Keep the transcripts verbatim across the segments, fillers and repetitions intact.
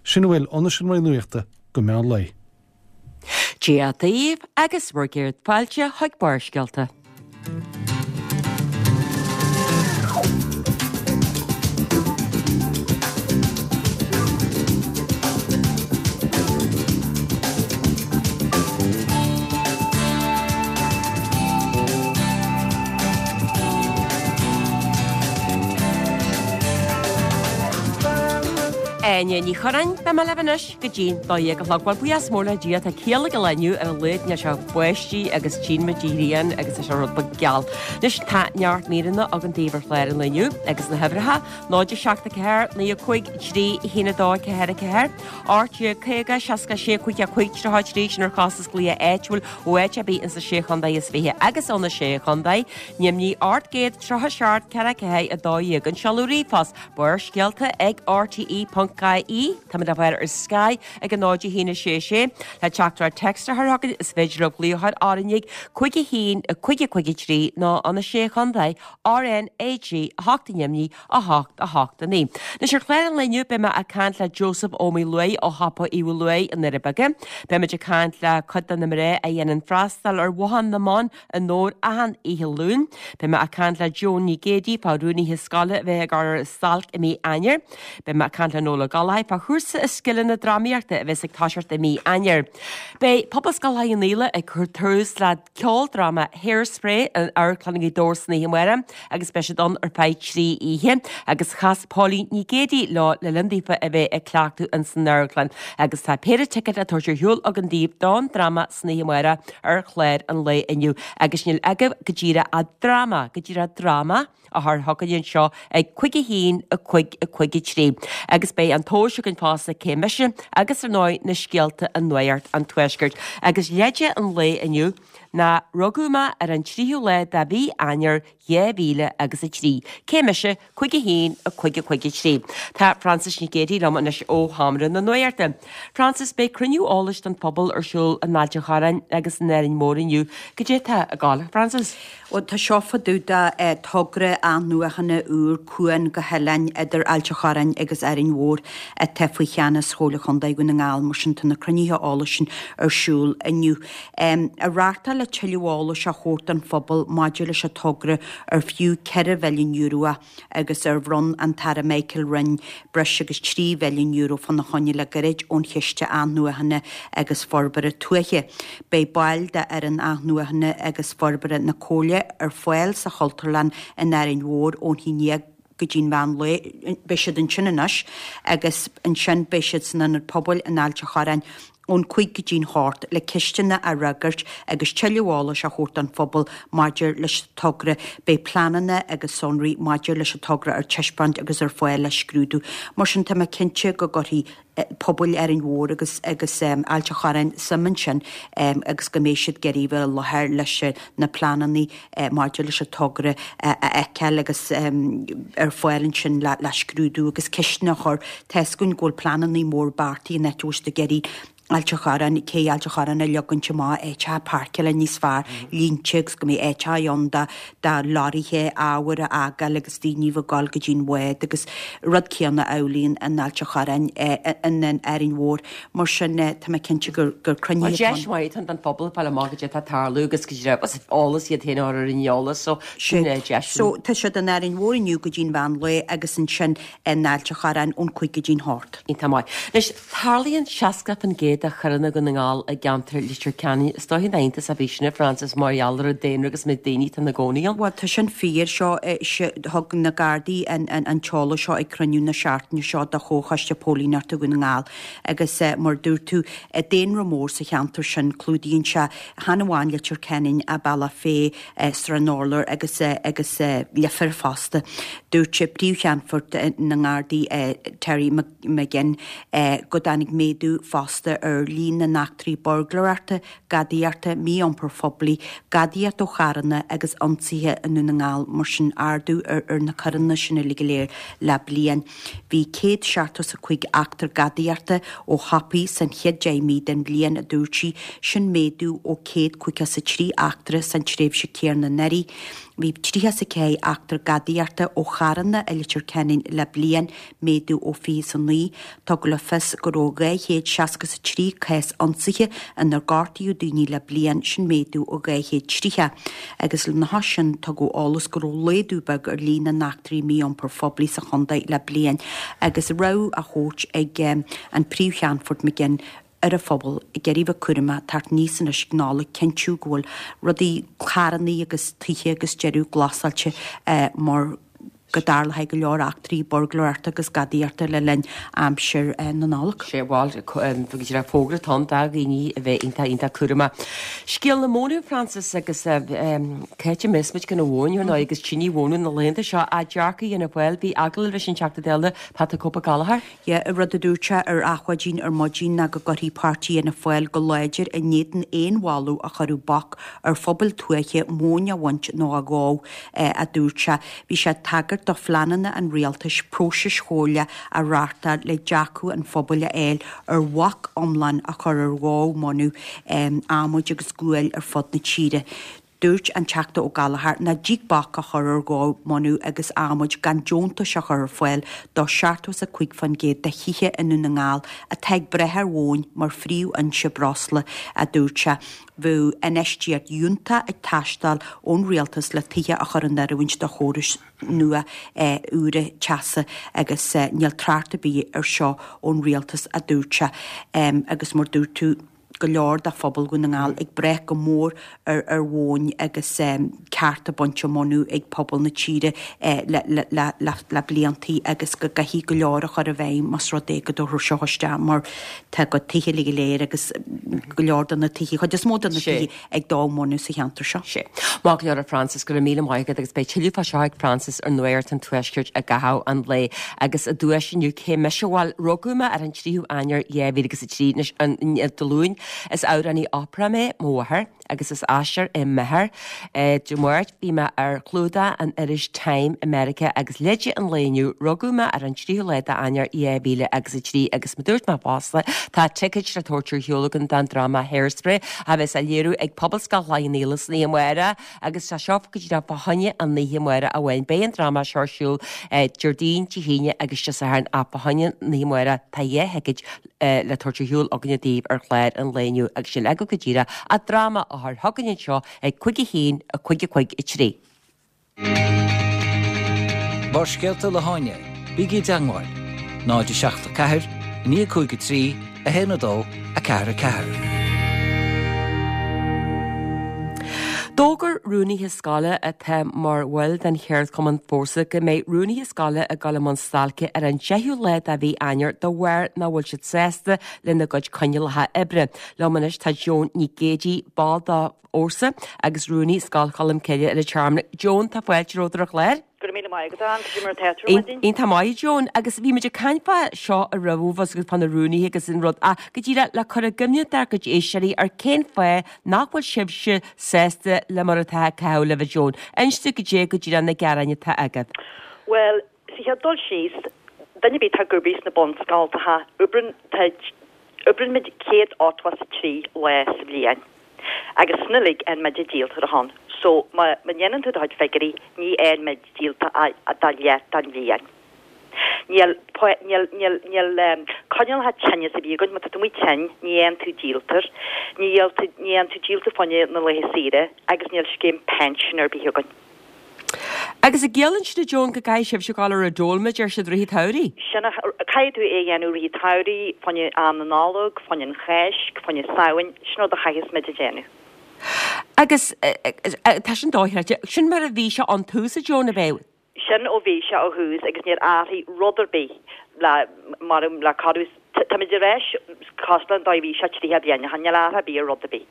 Sin a bhfuil ón seomra nuachta go meán lae. Dia daoibh agus bhur gcéad fáilte chuig Barrscéalta. Áine Ní Churráin, beidh mé libh anois go dtí'n dó dhéag a chlog. Bhuel, buíochas mór le Dia, tá ciall ag an lá inniu ar a laghad níl sé báistí agus tchíonn muid an ghrian agus tá sé rud beag geal. Anois tá neart míreanna againn daoibh ar chlár an lae inniu agus na huimhreacha, náid a seacht a ceathair, naoi a cúig, trí, a haon a dó, ceathair a ceathair, ocht déag caoga, seasca a sé, cúig a cúig, tríocha a trí, sin ar chostas glaoch áitiúil ó áit ar bith insa Sé Chontae is Fiche agus ó na Sé Chontae, Nimhní ocht gcéad tríocha seacht ceathair ceathair a dó dhéag. An seoladh ríomhphost, Barrscéalta ag R T E ponc I E. Táimid á bhfáil ar Sky ag a náid a haon a sé sé. Le teachtaireacht téacs a chur chugainn is féidir libh glaoch ar R N Ag cúig a haon a cúig a cúig a trí nó an a sé Chontae R N A G a hocht Nimhní a hocht a hocht a naoi. Anois ar chlár an lae inniu beidh mé ag caint le Joseph Ó Maoileoin ó Shiopa Uí Mhaoileoin i nDoirí Beaga. Beimid ag caint le cuid de na mná a dhéanann freastal ar Bhothán na mBan i nDobhar achan oíche Luain. Beidh mé ag caint le Joan Ní Géidigh fá rúnaithe scoile a bheith ag ar stailc i mí Eanáir. Beidh mé ag caint le Noel Ó Gallchóir fá chúrsa i scileanna drámaíochta a bheas ag toiseacht i mí Eanáir. Beidh Pobalscoil Choill Íle ag cur tús le ceoldráma Hairspray in Amharclann Ghaoth Dobhair san oíche amárach agus beidh siad ann ar feadh trí oíche agus chas Pauline Ní Géidigh leo le linn daofa a bheith ag cleachtadh in san amharclann agus tá péire ticéad á tabhairt ar shiúl againn daoibh don dráma san oíche amárach ar chlár an lae inniu agus níl agaibh go díreach ach dráma go díreach dráma a chur chugainn anseo ag cúig a haon a cúig a cúig a trí agus beidh an tomhas againn fosta cé mise agus ar ndóigh na scéalta i Nuacht an Tuaiscirt agus leide an lae inniu ná rugadh mé ar an tríú lá de mhí Eanáir dhá mhíle agus a trí. Cé mise cúig a haon a cúig a cúig a trí. Tá Frances Nic Géadaigh liom anois ó Sheomra na Nuachta. Frances, beidh cruinniú eolais don phobal ar siúl in Ailt an Chorráin agus in Árainn Mhór inniu. Goidé atá ag gabháil, Frances? Bhuel, tá seo fá dtaobh de togra athnuachana úr cuan go hoileáin idir Ailt an Chorráin agus Árainn Mhór atá faoi cheannas Chomhairle Chontae Dhún na nGall, mar sin tá na cruinnithe eolais sin ar siúl inniu. Á reáchtáil le tuilleadh eolais a thabhairt don phobal maidir leis an togra ar fiú ceithre mhilliún euro é agus ar bhronn an tAire Michael Ring breis agus trí mhilliún euro fána choinne le gairid ón Chiste Athnuachana agus Forbartha Tuaithe. Beidh baill d'fhoireann Athnuachana agus Forbartha na Comhairle ar fáil sa Chultúrlann in Árainn Mhór ón haon déag go dtí'n mheán lae. Beidh siad ansin anois agus ansin beidh siad san Ionad Pobail in Ailt an Chorráin ón cúig go dtí'n hocht le ceisteanna a fhreagairt agus tuilleadh eolais a thabhairt don phobal maidir leis an togra. Beidh pleananna agus sonraí maidir leis an togra ar taispeáint agus ar fáil le scrúdú. Mar sin tá mé cinnte go gcuirfidh pobail Árainn Mhór agus agus Ailt an Chorráin suim ansin agus go mbeidh siad ag iarraidh bheith i láthair leis na pleananna maidir leis an togra a fheiceáil agus ar fáil ansin le le scrúdú agus ceisteanna a chur. Tá fhios againn go bhfuil pleananna mór beartaithe in áit a bhfuil siad ag iarraidh Ailt an Chorráin, cé Ailt an Chorráin a leagaint amach áiteacha páirceála níos fearr, línte agus go mbeidh áiteacha ann do do leoraithe ábhair a fhágáil agus daoine bheith ag dul go dtí'n bhád agus rud céanna amhlaidh in Ailt an Chorráin in in Árainn Mhór. Mar sin tá mé cinnte gur gur cruinnithe Well deis mhaith atá ann don phobal fáil amach goidé atá ag tarlú agus go dtí eolas iad féin a chur ar an eolas so sin é deis. So tá siad in Árainn Mhór inniu go dtí'n mheán lae agus ansin in Ailt an Chorráin ón cúig go dtí'n hocht. Iontach maith. Anois tarlaíonn seasca faoin gcéad de choireanna Dhún na nGall i gceantar Leitir Ceanainn. Is dóigh nach iontas a bhí sin, a Frances, mar gheall ar an daonra agus méid daoine atá ina gcónaí ann. Bhuel, tá sin fíor. Seo, thug na Gardaí an an t-eolas seo ag cruinniú na seachtaine seo de Chomhchoiste Póilíneachta Dhún na nGall agus mar a dúirt tú, daonra mór sa cheantar sin, clúdaíonn sé chan amháin Leitir Ceanainn ach Bealach Féich, Srath an Urláir agus agus Leifear fosta. Dúirt Príomh-Cheannfort na nGardaí Terry McGinn go dtáinig méadú fosta ar líon na n-eachtraí buirgléireachta, gadaíochta, mí-iompair phoiblí, gadaíocht ó charranna agus ionsaithe i nDún na nGall, mar sin ardú ar, ar na coireanna sin uilig go léir le bliain. Bhí céad seachtó is a cúig eachtra gadaíochta ó shiopaí san chéad deich mí den bhliain, a dúirt sí, sin méadú ó céad caoga is a trí eachtra san tréimhse céanna anuraidh. Bhí tríocha is a ceathair eachtra gadaíochta ó charranna i Leitir Ceanainn le bliain, méadú ó fiche is a naoi. Tugadh le fios go raibh dhá chéad seasca is a trí cás ionsaithe inar gortaíodh daoine le bliain, sin méadú ó dhá chéad tríocha. Agus lena chois sin, tugadh eolas go raibh laghdú beag ar líon na n-eachtraí mí-iompair phoiblí sa chontae le bliain agus rabhadh á thabhairt ag an Príomh-Cheannfort McGinn ar an phobal ag iarraidh bheith cúramach teacht aníos anois ag Nollaig cinntiú go bhfuil rudaí carrannaí agus tithe agus deireadh glasáilte mar go dtarlóidh go leor eachtraí burglóireachta agus gadaíochta le linn aimsir na Nollag. Sé bhuel go raibh fógra ann do dhaoine a bheith iontach iontach cúramach. Scéal na móna Frances agus cá háit a mbeas muid gan an mhóin ar ndóigh agus tine mhóna na laethanta seo a dearcadh Fhianna Fáil bhí agallamh leis an Teachta Dála Pat the Cope Gallagher. Yeah, an rud a dúirt sé ar Adhmhaidin ar maidin ná go gcuirfidh páirtí Fhianna Fáil go láidir in éadan aon mholadh a chuirfeadh bac ar phobail tuaithe móin a bhaint nó a dhó, a dúirt sé. Bhí sé ag tagairt do phleananna an rialtais próisis chomhairle a reáchtáil le dearcadh an phobail a fháil ar bhac iomlán a chur ar dhó móna, adhmaid agus guail ar fud na tíre. Dúirt an Teachta Ó Gallchóir nach dtig bac a chur ar dhó móna agus adhmaid gan deontais a chur ar fáil do seachtó is a cúig faoin gcéad de thithe i nDún na nGall atá ag brath ar mhóin mar phríomhfhoinse breosla, a dúirt sé. Bheadh infheistíocht fhiúntach ag teastáil ón rialtas le tithe a chur in oiriúint do chórais nua úra teasa agus níl trácht ar bith ar seo ón rialtas, a dúirt sé. Agus mar dúirt tú, go leor de phobal Dhún na nGall ag brath go mór ar ar mhóin agus cearta bainte móna ag pobal na tíre le le le le le bliantaí agus go gcaithfidh go leor a chur i bhfeidhm más rud é go dtabharfar seo isteach mar tá go tithe uilig go léir agus go leor de na tithe, chuid is mó de na tithe ag dó móna sa cheantar seo. Sé. Maith go leor a Frances, go raibh míle maith agat agus beidh tuilleadh fá seo ag Frances ar Nuacht an Tuaiscirt i gcaitheamh an lae agus i dtuais inniu cé mise bhuel rugadh mé ar an tríú Eanáir dhá mhíle agus a trí anois an Dé Luain Is amhránaí opera mé, mo mháthair, agus is aisteoir é m'athair. Dé Máirt bhí mé ar chlúdach an iris Time i Meiriceá agus leide an lae inniu, rugadh mé ar an tríú lá d'Eanáir dhá mhíle agus a trí agus mar dúirt mé fosta, tá ticéid le tabhairt ar shiúl againn don dráma Hairspray a bheas á léiriú ag Pobalscoil Chloich Cheann Fhaola san oíche amárach agus tá seo go díreach fá choinne an oíche amárach amháin. Beidh an dráma seo ar siúl Déardaoin, Dé hAoine agus Dé Sathairn ach fá choinne an oíche amárach tá dhá thicéad le tabhairt ar shiúl againne daoibh ar chlár an lae inniu agus sin agaibh go díreach an dráma a chur chugainn anseo ag cúig a haon, a cúig a cúig a trí. Barrscéalta le hÁine, bígí i dteangmháil, náid a seacht a ceathair, a naoi a cúig a trí, a haon a dó, a ceathair a ceathair. D'fhógair rúnaithe scoile atá mar bhaill den cheardchumann Fórsa go mbeidh rúnaithe scoile ag dul i mbun stailce ar an deichiú lá de mhí Eanáir de bharr nach bhfuil siad sásta lena gcuid coinníollacha oibre. Liom anois tá Joan Nic Géidigh, ball de Fhórsa agus rúnaí Scoil Cholmcille i Leitir Ceanainn. Joan, tá fáilte romhat ar an chlár. Go raibh míle maith agat, Ann. Cad é mar atá tú ar maidin? Iontach maith, Joan. Agus bhí muid ag caint fá seo roimhe agus fá na rúnaithe agus an rud ach go díreach le cur i gcuimhne dár gcuid éisteoirí ar cén fáth nach bhfuil sibhse sásta le mar atá ag caitheamh libh, a Joan. Inis dúinn goidé go díreach na gearáin atá agaibh. Bhuel, sa chéad dul síos, duine ar bith atá ag obair sna bunscoltacha, oibreann, tá, oibreann muid céad ochtó is a trí lá sa bhliain. Agus sin uilig fhaigheann muid díoltar ann. So, má, má dhéanann tú do chuid figiúirí, ní fhaigheann muid díolta ach do leath den bhliain. Níl, níl, níl, níl coinníollacha tinnis ar bith againn, má tá tú amuigh tinn, ní fhaigheann tú díoltar, ní fhaigheann tú, ní fhaigheann tú díoltar fá choinne na laetha saoire agus níl scéim pinsin ar bith againn. Agus an gciallaíonn sin a Joan go gcaithfidh sibhse dul ar an dól mar a deir siad rith an tsamhraidh? Sin é, caithfidh tú é a dhéanamh rith an tsamhraidh, fá choinne am na Nollag, fá choinne an Cháisc, fá choinne Samhain, sin rud a chaithfeas muid a dhéanamh. Agus tá sin dochreidte. Sin mar a bhí sé ón tús a Joan, ab ea? Sin ó bhí sé ó thús agus níor athraigh rud ar bith le mar le corradh táimid ar ais cosúil leis an dóigh a bhí sé tríocha bliain ó shin, níl athrú ar bith ar rud ar bith.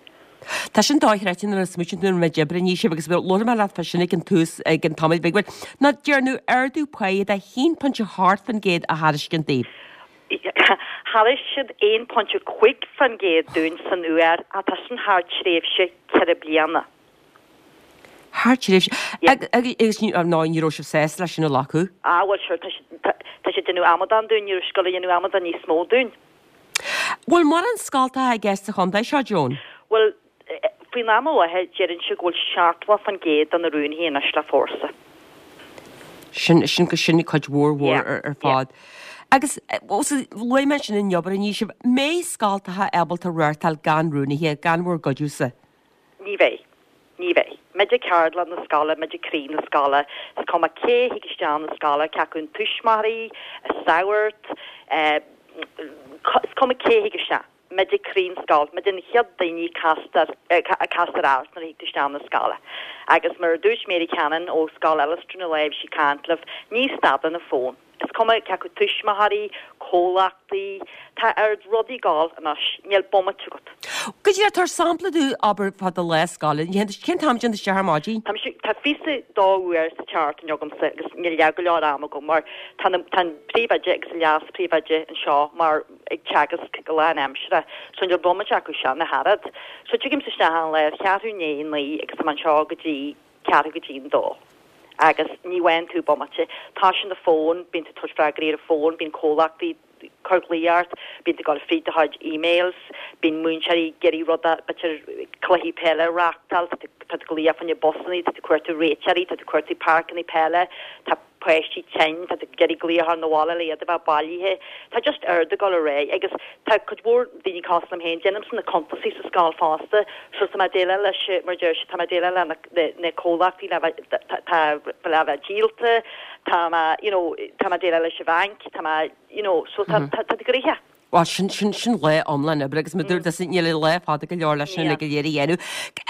Tá sin dochreidte nuair a smaoitíonn tú an méid oibre a ní sibh agus labhair mé leat fá sin ag an tús ag an tamall beag bhuel ná dearnadh ardú páighe de haon pointe a hocht faoin gcéad a thairiscint daoibh. Thairisc siad aon pointe cúig faoin gcéad dúinn san uair ach tá sin thar tréimhse ceithre bliana. Thar tréimhse. Agus ná ní raibh sibh sásta leis sin a ghlacadh? Ah bhuel sure tá siad tá siad ag déanamh amadán dúinn, ní raibh siad ag gabháil a dhéanamh amadán níos mó dúinn. Bhfuil mórán scoltacha i gceist sa chontae seo, Joan? Bhuel Faoin am i láthair, deireann siad go bhfuil seachtó faoin gcéad de na rúnaithe anois le fórsa. Sin, sin, sin cuid mhór mhór ar, ar fad. Agus luaigh mé ansin an obair a ní sibh, mbeidh scoltacha ábalta reáchtáil gan rúnaithe, gan bhur gcuidiúsa? Ní bheidh. Ní bheidh. Muide ceardlann na scoile, muide croí na scoile. Is cuma cé thig isteach na scoile, cé acu an tuismitheoirí, an sagart, is cuma cé thig isteach. Muide croí na scoile, muide na chéad daoine castar, a castar ort nuair a thig tú isteach na scoile. Agus mar a dúirt Mary Cannon ó Scoil Ellastown an lá a bhí sí ag caint libh, ní stadann an fón. Is cuma cé acu tuismitheoirí, comhlachtaí, tá oiread rudaí ag gabháil anois, níl bomaite agat. Go díreach, tabhair sampla domh, abair, fá do lá scoile. Cén t-am a dtéann tú isteach ar maidin? Tá mise, tá fiche dó uair sa tseachtain agamsa agus níl leath go leor ama agam mar tá na, tá an príomhoide agus an leas-phríomhoide anseo mar ag teagasc go lánaimseartha so níl bomaite acu sin ach oiread. So tigaimse isteach an lá ar cheathrú i ndiaidh a naoi agus tá mé anseo go dtí ceathrú go dtí an dó. Agus ní bhfaigheann tú bomaite. Tá sin an fón, bíonn tú ag tabhairt freagraí ar an bhfón, bíonn comhlachtaí ag cur glaoch ort, bíonn tú ag dul fríd do chuid emails, bíonn múinteoirí ag iarraidh rud a, b'fhéidir cluichí peile a reáchtáil, tá tú ag glaoch fá choinne busanna, tá tú ag cuartú réiteoirí, tá tú ag cuartú páirceanna peile, tá páistí tinn, tá tú ag iarraidh glaoch ar na bhaile le iad a bheith bailithe. Tá just oiread ag dul ar aghaidh agus tá cuid mhór daoine cosúil liom féin, déanaimse na cuntasaí sa scoil fosta, so tá mé ag déileáil leis, mar a deir siad, tá mé ag déileáil le na, na comhlachtaí le bheith, tá, le bheith díolta, tá mé, you know, tá mé ag déileáil leis an bhanc, tá mé, you know, so tá, tá, tá gnoitheach. Bhuel, sin, sin, sin lá iomlán oibre agus mar a dúirt tusa, níl an lá fada go leor leis sin go léir a dhéanamh.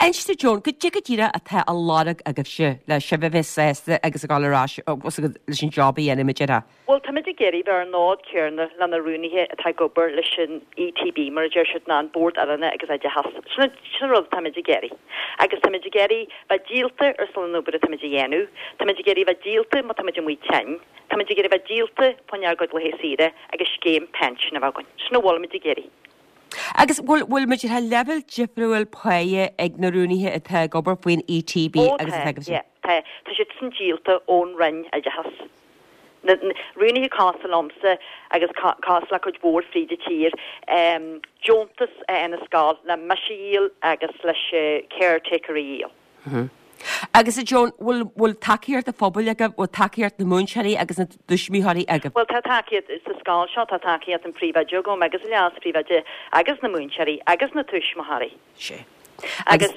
Inis domh Joan, goidé go díreach atá á lorg agaibhse le sibh a bheith sásta agus a ghabháil ar ais agus leis an job a dhéanamh, mar a déarfá? Bhuel, táimid ag iarraidh bheith ar an nod céanna le na rúnaithe atá ag obair leis an ETB, mar a deir siad, ná an Bord Oiliúna agus Oideachais. Sin, sin an rud atáimid ag iarraidh. Agus táimid ag iarraidh bheith díolta ar son an obair atáimid a dhéanamh. Táimid ag iarraidh bheith díolta má táimid amuigh tinn. Táimid ag iarraidh bheith díolta fá choinne ár gcuid laetha saoire agus scéim pinsin a bheith againn. Sin a bhfuilimid ag iarraidh. Agus bhfuil, bhfuil muid ar leibhéal difriúil páighe ag na rúnaithe atá ag obair faoin ETB Ó agus tá, atá agaibhse? yeah, tá. Tá siad san díolta ón Roinn Oideachais. Na, na rúnaithe cosúil liomsa agus cosúil le cuid mhór fríd an tír, em, deontas a fhaigheann an scoil le mise a dhíol agus leis an caretaker a dhíol. Agus a Joan, bhfuil, bhfuil tacaíocht an phobail agaibh, bhfuil tacaíocht na múinteoirí agus na dtuismitheoirí agaibh? Bhuel, tá tacaíocht sa scoil seo, tá tacaíocht an phríomhoide agam agus an leas-phríomhoide agus na múinteoirí agus na tuismitheoirí. Sea. Agus,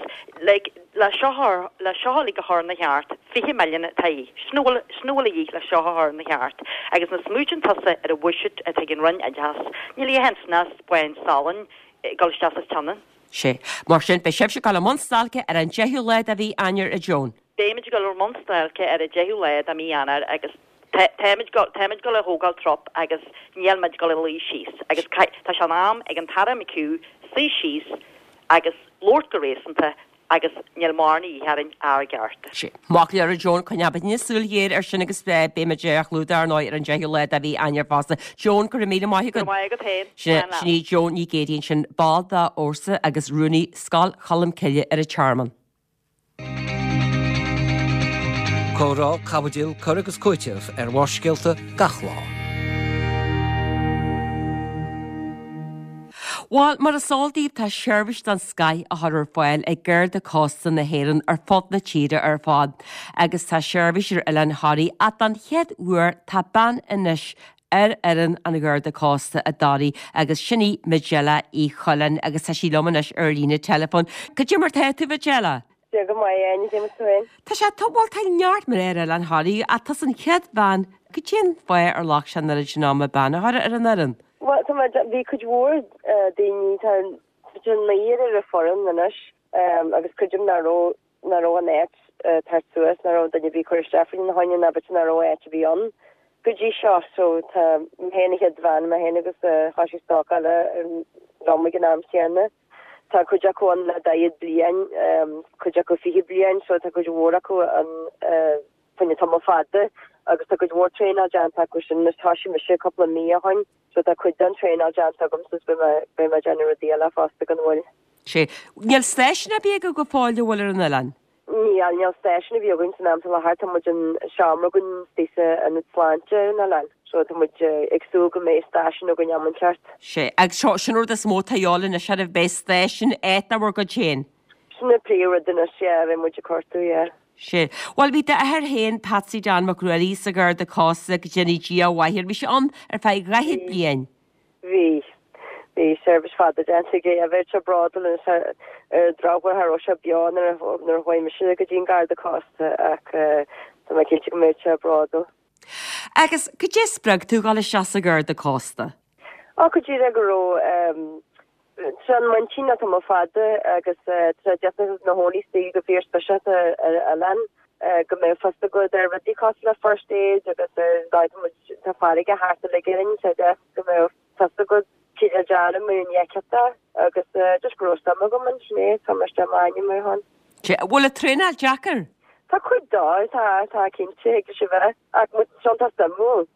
like, le seo a, le seo uilig a chur ina cheart, fiche milliún atá a dhíth. Sin a bhfuil, sin a bhfuil a dhíth le seo a chur ina cheart. Agus nuair a smaoitíonn tusa ar an bhuiséad atá ag an Roinn Oideachais, níl a dhath ansin ach spáin salainn ag dul isteach sa tSionainn. Sea. Mar sin, beidh sibhse ag dul i mbun stailce ar an deichiú lá de mhí Eanáir, a Joan. Beimid ag dul i mbun stailce ar an deichiú lá de mhí Eanáir agus táimid táimid ag dul a thógáil trup agus níl muid ag dul a luí síos agus tá sé in am ag an tAire McHugh suí síos agus labhairt go réasúnta agus níl mórán a dhíth orainn ár gcearta. Sea. Maith go leor a Joan, coinneoidh muidne súil ghéar air sin agus beimid á chlúdach ar ndóigh ar an deichiú lá de mhí Eanáir fosta. Joan, go raibh míle maith agat. Go raibh maith agat féin. Sin Slán leat. sin í Joan Ní Ghéidigh ansin, ball de fhórsa agus rúnaí Scoil Cholmcille ar an Tearmann. Comhrá, caibidil, cur agus cúiteamh ar Bharrscéalta gach lá. Bhuel, mar is eol daoibh, tá seirbhís den scoth á chur ar fáil ag Garda Cósta na hÉireann ar fud na tíre ar fad agus tá seirbhís ar Oileán Thoraí ach don chéad uair tá bean anois ar fhoireann an Gharda Cósta i dToraigh agus sin í Majella Uí Choileáin agus tá sí liom anois ar líne teileafóin. Cad é mar tá tú, Majella? Dia go maith, Áine, cé mar tú féin? Tá sé, tá, bhuel, tá neart mná ar Oileán Thoraí ach tusa an chéad bhean, cad é an fáth ar ghlac sé an oiread sin ama bean a chur ar an fhoireann? Bhuel, tá mé, bhí cuid mhór daoine, tá tá naonúr ar an foireann anois agus creidim nach raibh, nach raibh an áit ag teacht suas, nach raibh duine ar bith ag cur isteach faoina choinne ná b'fhéidir nach raibh áit ar bith ann go dtí seo. So tá mé féin an chéad bhean, mé féin agus thoisigh stocáil liom ag an am chéanna. Tá cuid acu ann le daichead bliain, cuid acu fiche bliain, so tá cuid mhór acu ann fá choinne tamall fada agus tá cuid mhór traenáil déanta acu sin. Anois thoisigh mise cúpla mí ó shoin so tá cuid den traenáil déanta agamsa is beidh mé beidh mé ag déanamh rudaí eile fosta gan mhoill. Sea. Níl stáisiún ar bith agaibh go fóill an bhfuil ar an oileán? Níl, níl stáisiún ar bith againn san am faoi láthair, tá muid in seomra againn istigh sa ionad sláinte ar an oileán so tá muid ag súil go mbeidh stáisiún againn am inteacht. Sea. Agus seo, sin an rud is mó atá a dhíobháil anois oraibh, beidh stáisiún áit de bhur gcuid féin. Sin na príomh anois yeah, bheidh muid ag cuartú yeah. Sé. Bhuel bhí d'athair féin Patsy Dan Mac Ruairí sa Gharda Cósta go ndéana Dia a mhaith air. Bhí sé ann ar feadh dhaichead bliain. Bhí. Bhí seirbhís fada déanta aige. Bheadh sé bródúil anois ar an drochuair cha raibh sé beo nuair a nuair a chuaigh mise go dtí an Garda Cósta ach tá mé cinnte go mbeadh sé bródúil. Agus cad é a spreag tú dhul isteach sa Gharda Cósta? Á go díreach go raibh Tá an muintín atá mo fada agus tá deas na hóí go fíor speisialta ar oileán go mbeidh fhios agat ar rudaí cosúil le first aid agus ar tá farraige thart uilig orainn so deas go mbeidh fhios agat cad a déanamh mura ndéanfá agus just go raibh suim agam ansin é tá mar sin m'ainm ar shon. Bhfuil an traenáil deacair? Tá cuid dó tá tá cinnte ag sé bheith ach tá sé suimiúil.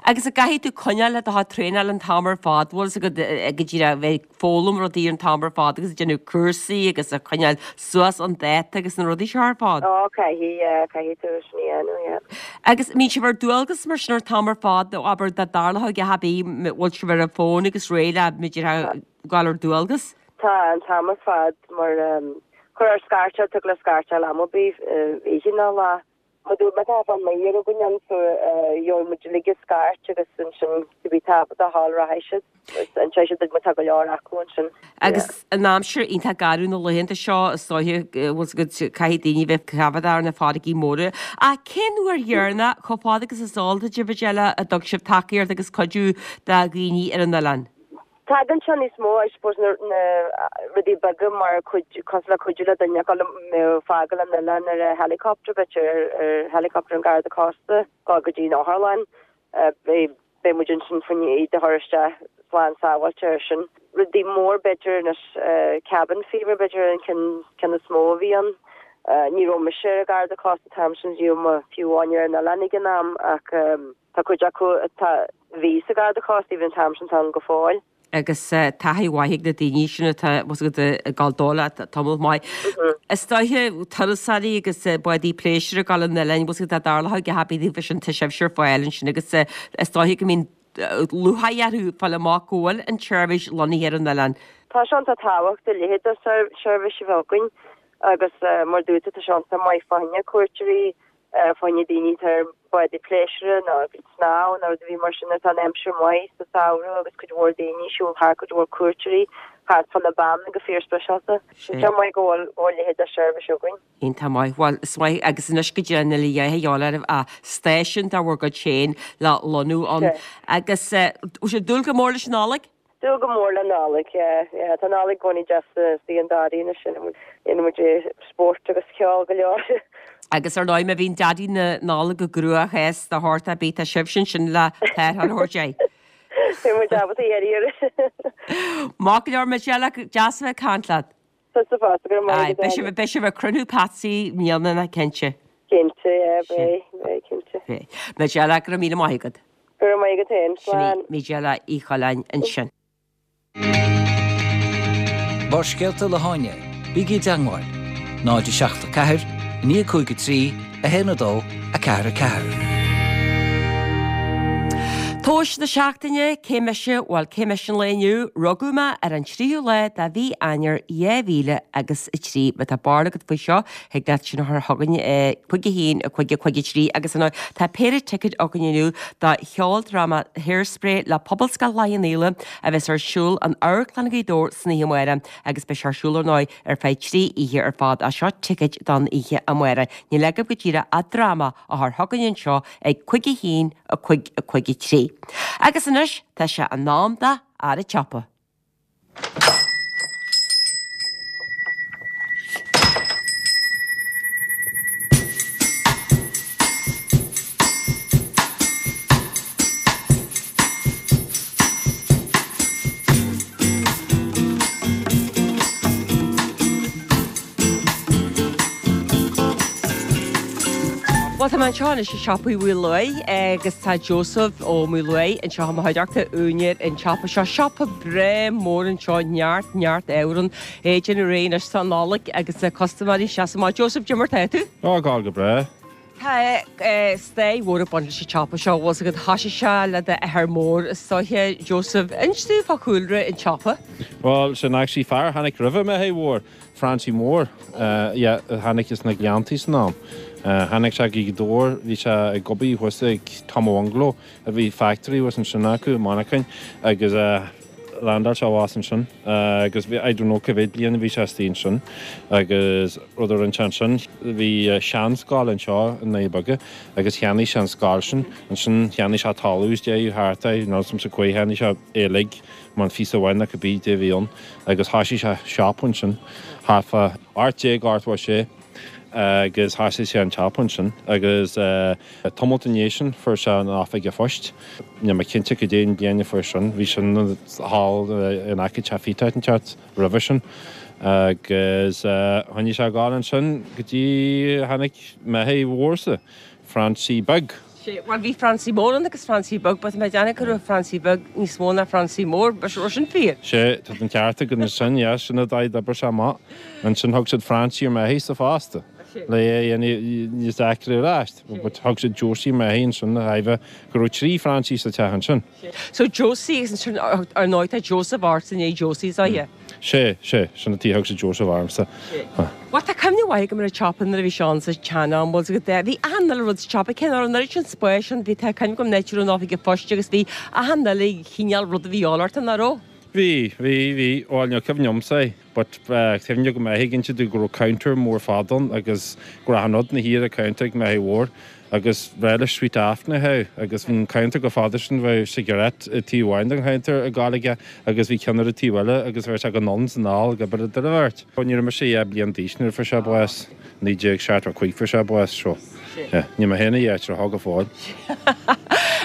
Agus an gcaithfidh tú coinneáil le do chuid traenáil an t-am ar fad, bhfuil fhios agat go díreach a bheith ag foghlaim rudaí an t-am ar fad agus ag déanamh cúrsaí agus ag coinneáil suas an dáta agus na rudaí seo ar fad? Ó, caithfidh, yeah, caithfidh tú sin a dhéanamh, yeah. Agus mbíonn sibh ar dualgas mar sin an t-am ar fad, nó abair dá dtarlódh a dhath ar bith, bhfuil sibh ar an bhfón agus réidh le b'fhéidir gabháil ar dualgas? Tá, an t-am ar fad mar chuir ar scairteáil, thig le scairteáil am ar bith, oíche ná lá. Má dúirt mé tá an maor againn ann so gheobhaidh muid uilig an scairt agus ansin cibé tábhacht a fháil rachaidh siad agus inseoidh siad duit má tá go leor acu ansin. Agus an aimsir iontach garbh na laethanta seo is dóiche bhfuil fhios agat caithfidh daoine bheith coimhéadach ar na farraigí móra. Ach cén uair dheireanach, chomh fada agus is eol duit a Mhajella, a dtug sibh tacaíocht agus cuidiú do dhaoine ar an oileán? Tagann sé níos mó, I suppose, na rudaí beaga mar cuid, cosúil le cuidiú le duine ag fágáil an oileáin ar a helicopter, b'fhéidir ar helicopter an Garda Cósta, dul go dtí an otharlann. Beidh, beidh muid ansin faoin iad a chur isteach slán sábháilte ar sin. Rudaí mór b'fhéidir anois, cabin fever b'fhéidir an ceann, ceann is mó a bhí ann. Ní raibh mise ar an Garda Cósta an t-am sin, ní raibh mé fiú amháin ar an oileán ag an am ach tá cuid acu atá, bhí sa Gharda Cósta even an t-am sin, tá ann go fóill. Agus taithí mhaith ag na daoine sin atá bhfuil fhios agat ag gabháil dó le tamall maith. Is dóiche turasóirí agus bádaí pléisiúir ag gabháil an oileáin, bhfuil fhios agat dá dtarlódh a dhath ar bith daofa sin tá sibhse ar fáil ansin agus is dóiche go mbíonn lúcháir orthu fáil amach go bhfuil an tseirbhís lonnaithe ar an oileán. Tá sé iontach tábhachtach a leithéid de sheirbhís a bheith againn agus mar dúirt tú tá sé iontach maith fá choinne cuairteoirí fá choinne daoine atá ar bhádaí pléisiúir nó ag snámh nó rud a bhí mar sin nuair atá an aimsir maith sa samhradh agus cuid mhór daoine ag siúl thart, cuid mhór cuairteoirí thart fá na Beanna go fíor speisialta. Tá sé maith go bhfuil go bhfuil a leithéid de sheirbhís againn. Iontach maith. Bhuel, is maith agus anois go dtí níl a dhath a dhíobháil oraibh ach stáisiún de bhur gcuid féin le lonnú ann. Agus bhfuil sibh ag dúil go mór leis an Nollaig? Dúil go mór le Nollaig, yeah, yeah. Tá Nollaig i gcónaí deas istigh an Daidí anois, déanann muid spórt agus ceol go leor. Agus ar ndóigh má bhíonn Daidí na Nollag i gcruachás de shórt ar bith, tá sibhse ansin le tarrtháil a thabhairt air. Beidh muid ábalta iarraidh air. Maith go leor, Michelle, deas a bheith ag caint leat. Tusa fosta, go raibh maith agat. Beidh sibh, beidh sibh ag cruinniú Patsy i mbliana, cinnte. Cinnte, yeah, beidh, beidh, cinnte. Beidh. Michelle, go raibh míle maith agat. Go raibh maith agat féin. Slán. Sin í Majella Uí Choileáin ansin. Barrscéalta le hÁine, bígí i dteangmháil, náid a seacht a ceathair, a naoi a cúig a trí, a haon a dó, a ceathair a ceathair. Tomhas na seachtaine, cé mise? Bhuel, cé mise an lae inniu? Rugadh mé ar an tríú lá de mhí Eanáir dhá mhíle agus a trí. Má tá barúil agat faoi seo, thig leat sin a chur chugainn ag cúig a haon, a cúig, a cúig a trí agus ar ndóigh tá péire ticéad againn inniu do cheoldráma Hairspray le Pobalscoil Chloich Cheann Fhaola a bheas ar siúl in Amharclann Ghaoth Dobhair san oíche amárach agus beidh sé ar siúl ar ndóigh ar feadh trí oíche ar fad. Ach seo ticéid don oíche amárach. Níl agaibh go díreach ach dráma a chur chugainn anseo ag cúig a haon, a cúig, a cúig a trí. Agus anois tá sé in am do Fhear an tSiopa. Bhuel, tá mé anseo anois i siopa Uí Mhaoláin agus tá Joseph Ó Maoláin anseo i mo chuideachta, úinéir an tsiopa seo. Siopa breá mór anseo, neart, neart ábhar ann. É ag déanamh réidh anois don Nollaig agus custaiméirí ag seasamh amach. Joseph, cad é mar tá tú? Á, ag gabháil go breá. Tá stair mhór ag baint leis an tsiopa seo, bhfuil 's agat thoisigh sé le d'athair mór is dóiche, Joseph. Inis dúinn fá chúlra an tsiopa. Bhuel, sin actually fear a tháinig roimhe m'athair mhór, Francie Mór, yeah, a tháinig as na Gleanntaí san am. Tháinig sé go Gaoth Dobhair, bhí sé ag obair thuas ag Tom Bhungalow, a bhí factory thuas ansin acu i Manchain agus landáil sé abhus ansin agus bhí, I don't know cá mhéad bliain a bhí sé istigh ansin agus rud a rinne sé ansin, bhí seanscoil anseo i nDoirí Beaga agus cheannaigh sé an scoil sin, ansin cheannaigh sé talamh is deireadh thart air, níl 's a'msa cá fhaid cheannaigh sé é uilig, mar an phíosa amháin nó cibé dé a bhí ann agus thoisigh sé siopa ansin thart fá ocht déag ochtó a sé. Agus thoisigh sé an tsiopa ansin agus tamalt ina dhiaidh sin fuair sé an oifig an phoist. Níl mé cinnte cad é an bliain a fuair sin, bhí sin thall in aice Teach Phíotáin an teach roimhe sin. Agus choinnigh sé ag gabháil ansin go dtí tháinig m'athair mhórsa, Francie Beag. Sea, bhuel bhí Francie Mór ann agus Francie Beag, but tá mé ag déanamh go raibh Francie Beag níos mó ná Francie Mór, an raibh sin fíor? Sea, tá an ceart agat ansin, yeah, sin an dóigh a d'oibir sé amach. Ansin thug siad Francie ar m'athairse fosta, le é a dhéanamh níos deacra ar ais, but thug siad Josie ar m'athair ansin, de thairbhe go raibh trí Francie sa teach ansin. So Josie agus ansin ar ndóigh tá Joseph ort i ndiaidh Josie, is ea? Sea, sea, sin an tuige a thug siad Joseph ormsa. Bhuel, tá cuimhne mhaith agam ar an tsiopa nuair a bhí sé ann sa tsean-am, bhfuil 's agat, bhí achan uile rud sa tsiopa, cé nach raibh an oiread sin spáis ann, bhí, tá cuimhne agam an áit a raibh an oifig an phoist agus bhí achan uile chineál rud a bhí a dhíobháil ort, nach raibh? Bhí, bhí, bhí, bhuel, níl cuimhne agamsa air, but cuimhne agam m'athair ag inse domh go raibh counter mór fada ann agus go raibh achan rud ina shuí ar an counter ag m'athair mhór. Agus ba bhreá leis sweet afton a ithe agus bhí an counter chomh fada sin bheadh cigarette ag taobh amháin den chounter ag gabháil aige agus bhí ceann ar an taobh eile agus bheadh sé ag anonn is anall ag obair idir an bheirt. Ní raibh mise dhá bliain d'aois nuair a fuair sé bás, naoi déag seachtó a cúig fuair sé bás so yeah níl mé féin ach dhá thriochád go fóill.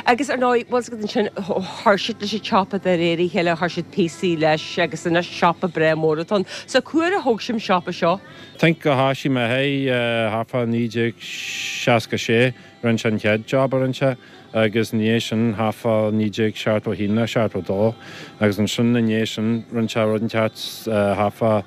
Agus ar ndóigh, bhfuil 's agat ansin chuir siad leis an tsiopa de réir a chéile, chuir siad píosaí leis agus anois siopa breá mór atá ann. So cá huair a thóg sibh an siopa seo? Think go thoisigh m'athair thart fá naoi déag seasca sé, rinne sé an chéad job a rinne sé agus ina dhiaidh sin thart fá naoi déag seachtó a haon nó seachtó a dó agus ansin ina dhiaidh sin rinne sé rud inteacht thart fá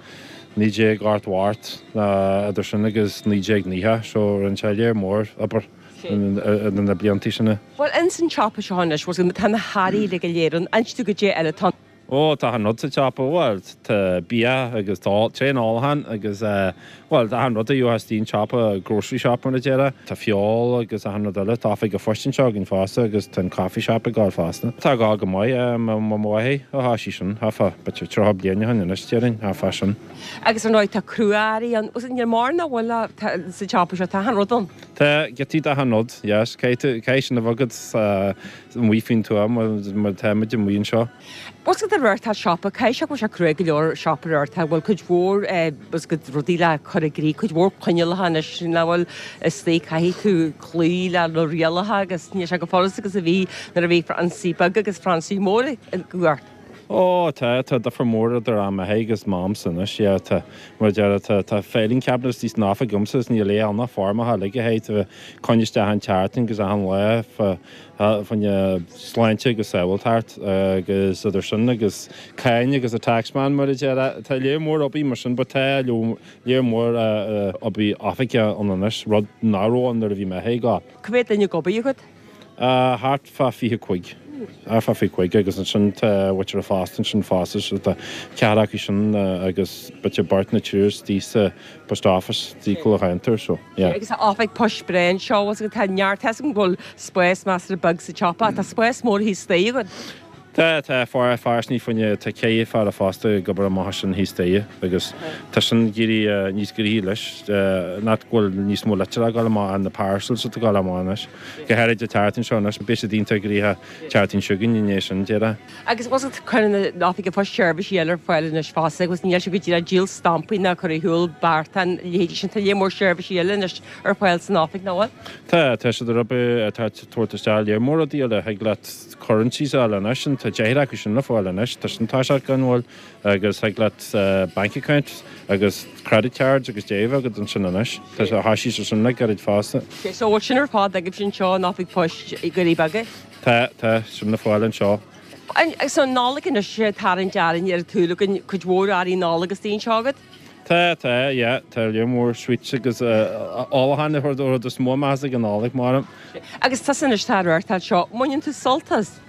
naoi déag ochtó a hocht idir sin agus naoi déag nócha so rinne sé léar mór obair idir na blianta sin. Bhuel ins an tsiopa seo anois, bhuel tá na hearraí uilig go léir ann, inis dúinn goidé eile atá ann. Ó, tá achan rud sa tsiopa, bhuel, tá bia agus tá tréan ólachán agus bhuel, achan rud a gheofá istigh in siopa, grocery shop mar a déarfá. Tá feoil agus achan rud eile. Tá oifig an phoist anseo againn fosta agus tá an coffee shop ag gabháil fosta. Tá ag gabháil go maith, mo mháthair a thoisigh sin, thart fá, b'fhéidir tríocha bliain ó shin anois, déarfainn, thart fá sin. Agus ar ndóigh tá crua-earraí ann, níl mórán nach bhfuil sa tsiopa seo, tá achan rud ann. Tá, giotaí d'achan rud, yes, caithfidh tú, caithfidh sin a bheith agat amuigh faoin tuath mar tá muid amuigh anseo. Bhfuil 's agat ag reáchtáil siopa, caithfidh sé go bhfuil sé cruaidh go leor siopa a reáchtáil, bhfuil cuid mhór bhfuil 's agat rudaí le cur i gcrích, cuid mhór coinníollacha anois, nach bhfuil istigh, caithfidh tú cloí le na rialacha agus níl sé chomh furasta agus a bhí nuair a bhí Francie beag agus Francie mór ag gabháil. Ó, tá, tá difear mór idir am m'athar agus m'amsa anois, yeah, tá, mar a déarfá, tá, tá filing cabinet istigh san oifig agamsa is níl aon ann ach foirmeacha uilig a théid a coinne isteach an tseachtain agus achan lá fá, fá choinne sláinte agus sábháilteacht agus idir sin agus cáin agus an taxman mar a déarfá, tá léar mór obair mar sin but tá léar mór obair oifige ann anois, rud nach raibh ann nuair a bhí m'athair ag gabháil. Cá mhéad duine ag obair agat? Thart fá fiche cúig. Thart fá fiche cúig agus ansin tá muintir fostaithe ansin fosta so tá ceathrar acu sin agus b'fhéidir beirt nó triúr istigh sa post office istigh cúl an cheantair so yeah. Agus tá oifig poist breá anseo bhfuil 's agat tá neart tá 's agam go bhfuil spás measartha beag sa tsiopa ach tá spás mór thíos staighre agat. Tá, tá, fear, fear ní fuinne, tá ceithre fear a fosta ag obair amach ansin thíos staighre agus tá sin ag éirí níos gnoithí leis, not go bhfuil níos mó litreacha ag dul amach ach na parcels atá ag dul amach anois, go háirid an tseachtain seo anois, beidh siad iontach gnoitheach tseachtain seo chugainn i ndiaidh sin, déarfá. Agus bhfuil 's agat cuireann an oifig an phoist seirbhísí eile ar fáil anois fosta agus níl sé go díreach díol stampaí ná cur ar shiúl beartán, a leithéidí sin, tá léar mór seirbhísí eile anois ar fáil san oifig, nach bhfuil? Tá, tá siad ar obair, tá tabhairt isteach léar mór rudaí eile, thig leat currencies a fháil anois, and tá deich acu sin le fáil anois, tá sin tá sé gan mhoill agus thig leat bank account agus credit cards agus déibh agat ansin anois, tá sé thoisigh sé sin le gairid fosta. Ok, so bhfuil sin ar fad agaibhse anseo in Oifig Poist i nDoirí Beaga? Tá, tá, sin le fáil anseo. So Nollaig anois ag tarraingt orainn ar an tsúil againn, cuid mhór earraí Nollag istigh anseo agat? Tá, tá, yeah, tá lear mór sweets agus ólachán an rud is mó meas ag an Nollaig mar. Agus tusa anois atá ag reáchtáil seo, mbaineann tú sult as?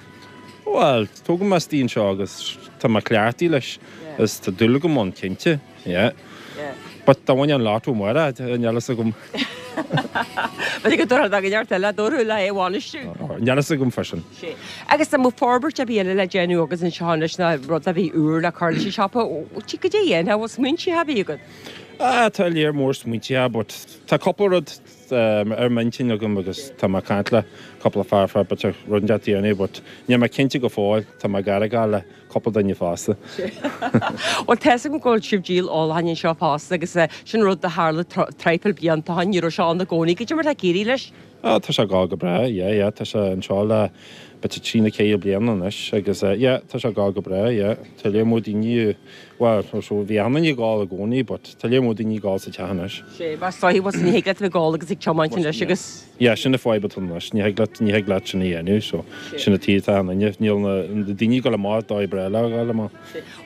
Bhuel, tógadh mé istigh anseo agus tá mé cleachtaithe leis is tá dúil agam ann cinnte, yeah. But dá mbainfeá an lotto amárach, níl a fhios agam. B'fhéidir go dtabharfá do neart eile, dúrú le é a bhainistiú. Níl a fhios agam freisin. Agus dá mbeadh forbairt ar bith eile le déanamh agat anseo anois nó rud ar bith úr le cur leis an siopa, goidé a dhéanfá, bhfuil smaointe ar bith agat? Ah, tá lear mór smaointe, but tá cúpla rud ar m'intinn agam agus tá mé ag caint le cúpla fear fá b'fhéidir rud inteacht a dhéanamh but níl mé cinnte go fóill, tá mé ag argáil le cúpla duine fosta. Bhuel tá 'fhios agam go bhfuil sibh díol ólacháin anseo fosta agus sin rud a tharla traidhfil blianta ó shin, ní raibh sé ann i gcónaí, goidé mar atá ag éirí leis? Ah tá sé ag gabháil go breá, yeah yeah, tá sé anseo le b'fhéidir trí nó ceithre bliana anois agus yeah tá sé ag gabháil go breá, yeah. Tá lear mór daoine, bhuel bhí achan duine ag ól i gcónaí but tá lear mór daoine ag ól sa teach anois. Sé, mar is dóigh, bhuel ní thig leat a bheith ag ól agus ag tiomáint anois agus. Yeah, sin an fadhb atá anois, ní thig leat, ní thig leat sin a dhéanamh so sin an tuige atá achan duine, níl na daoine ag dul amach dóigh breá leo a dhul amach.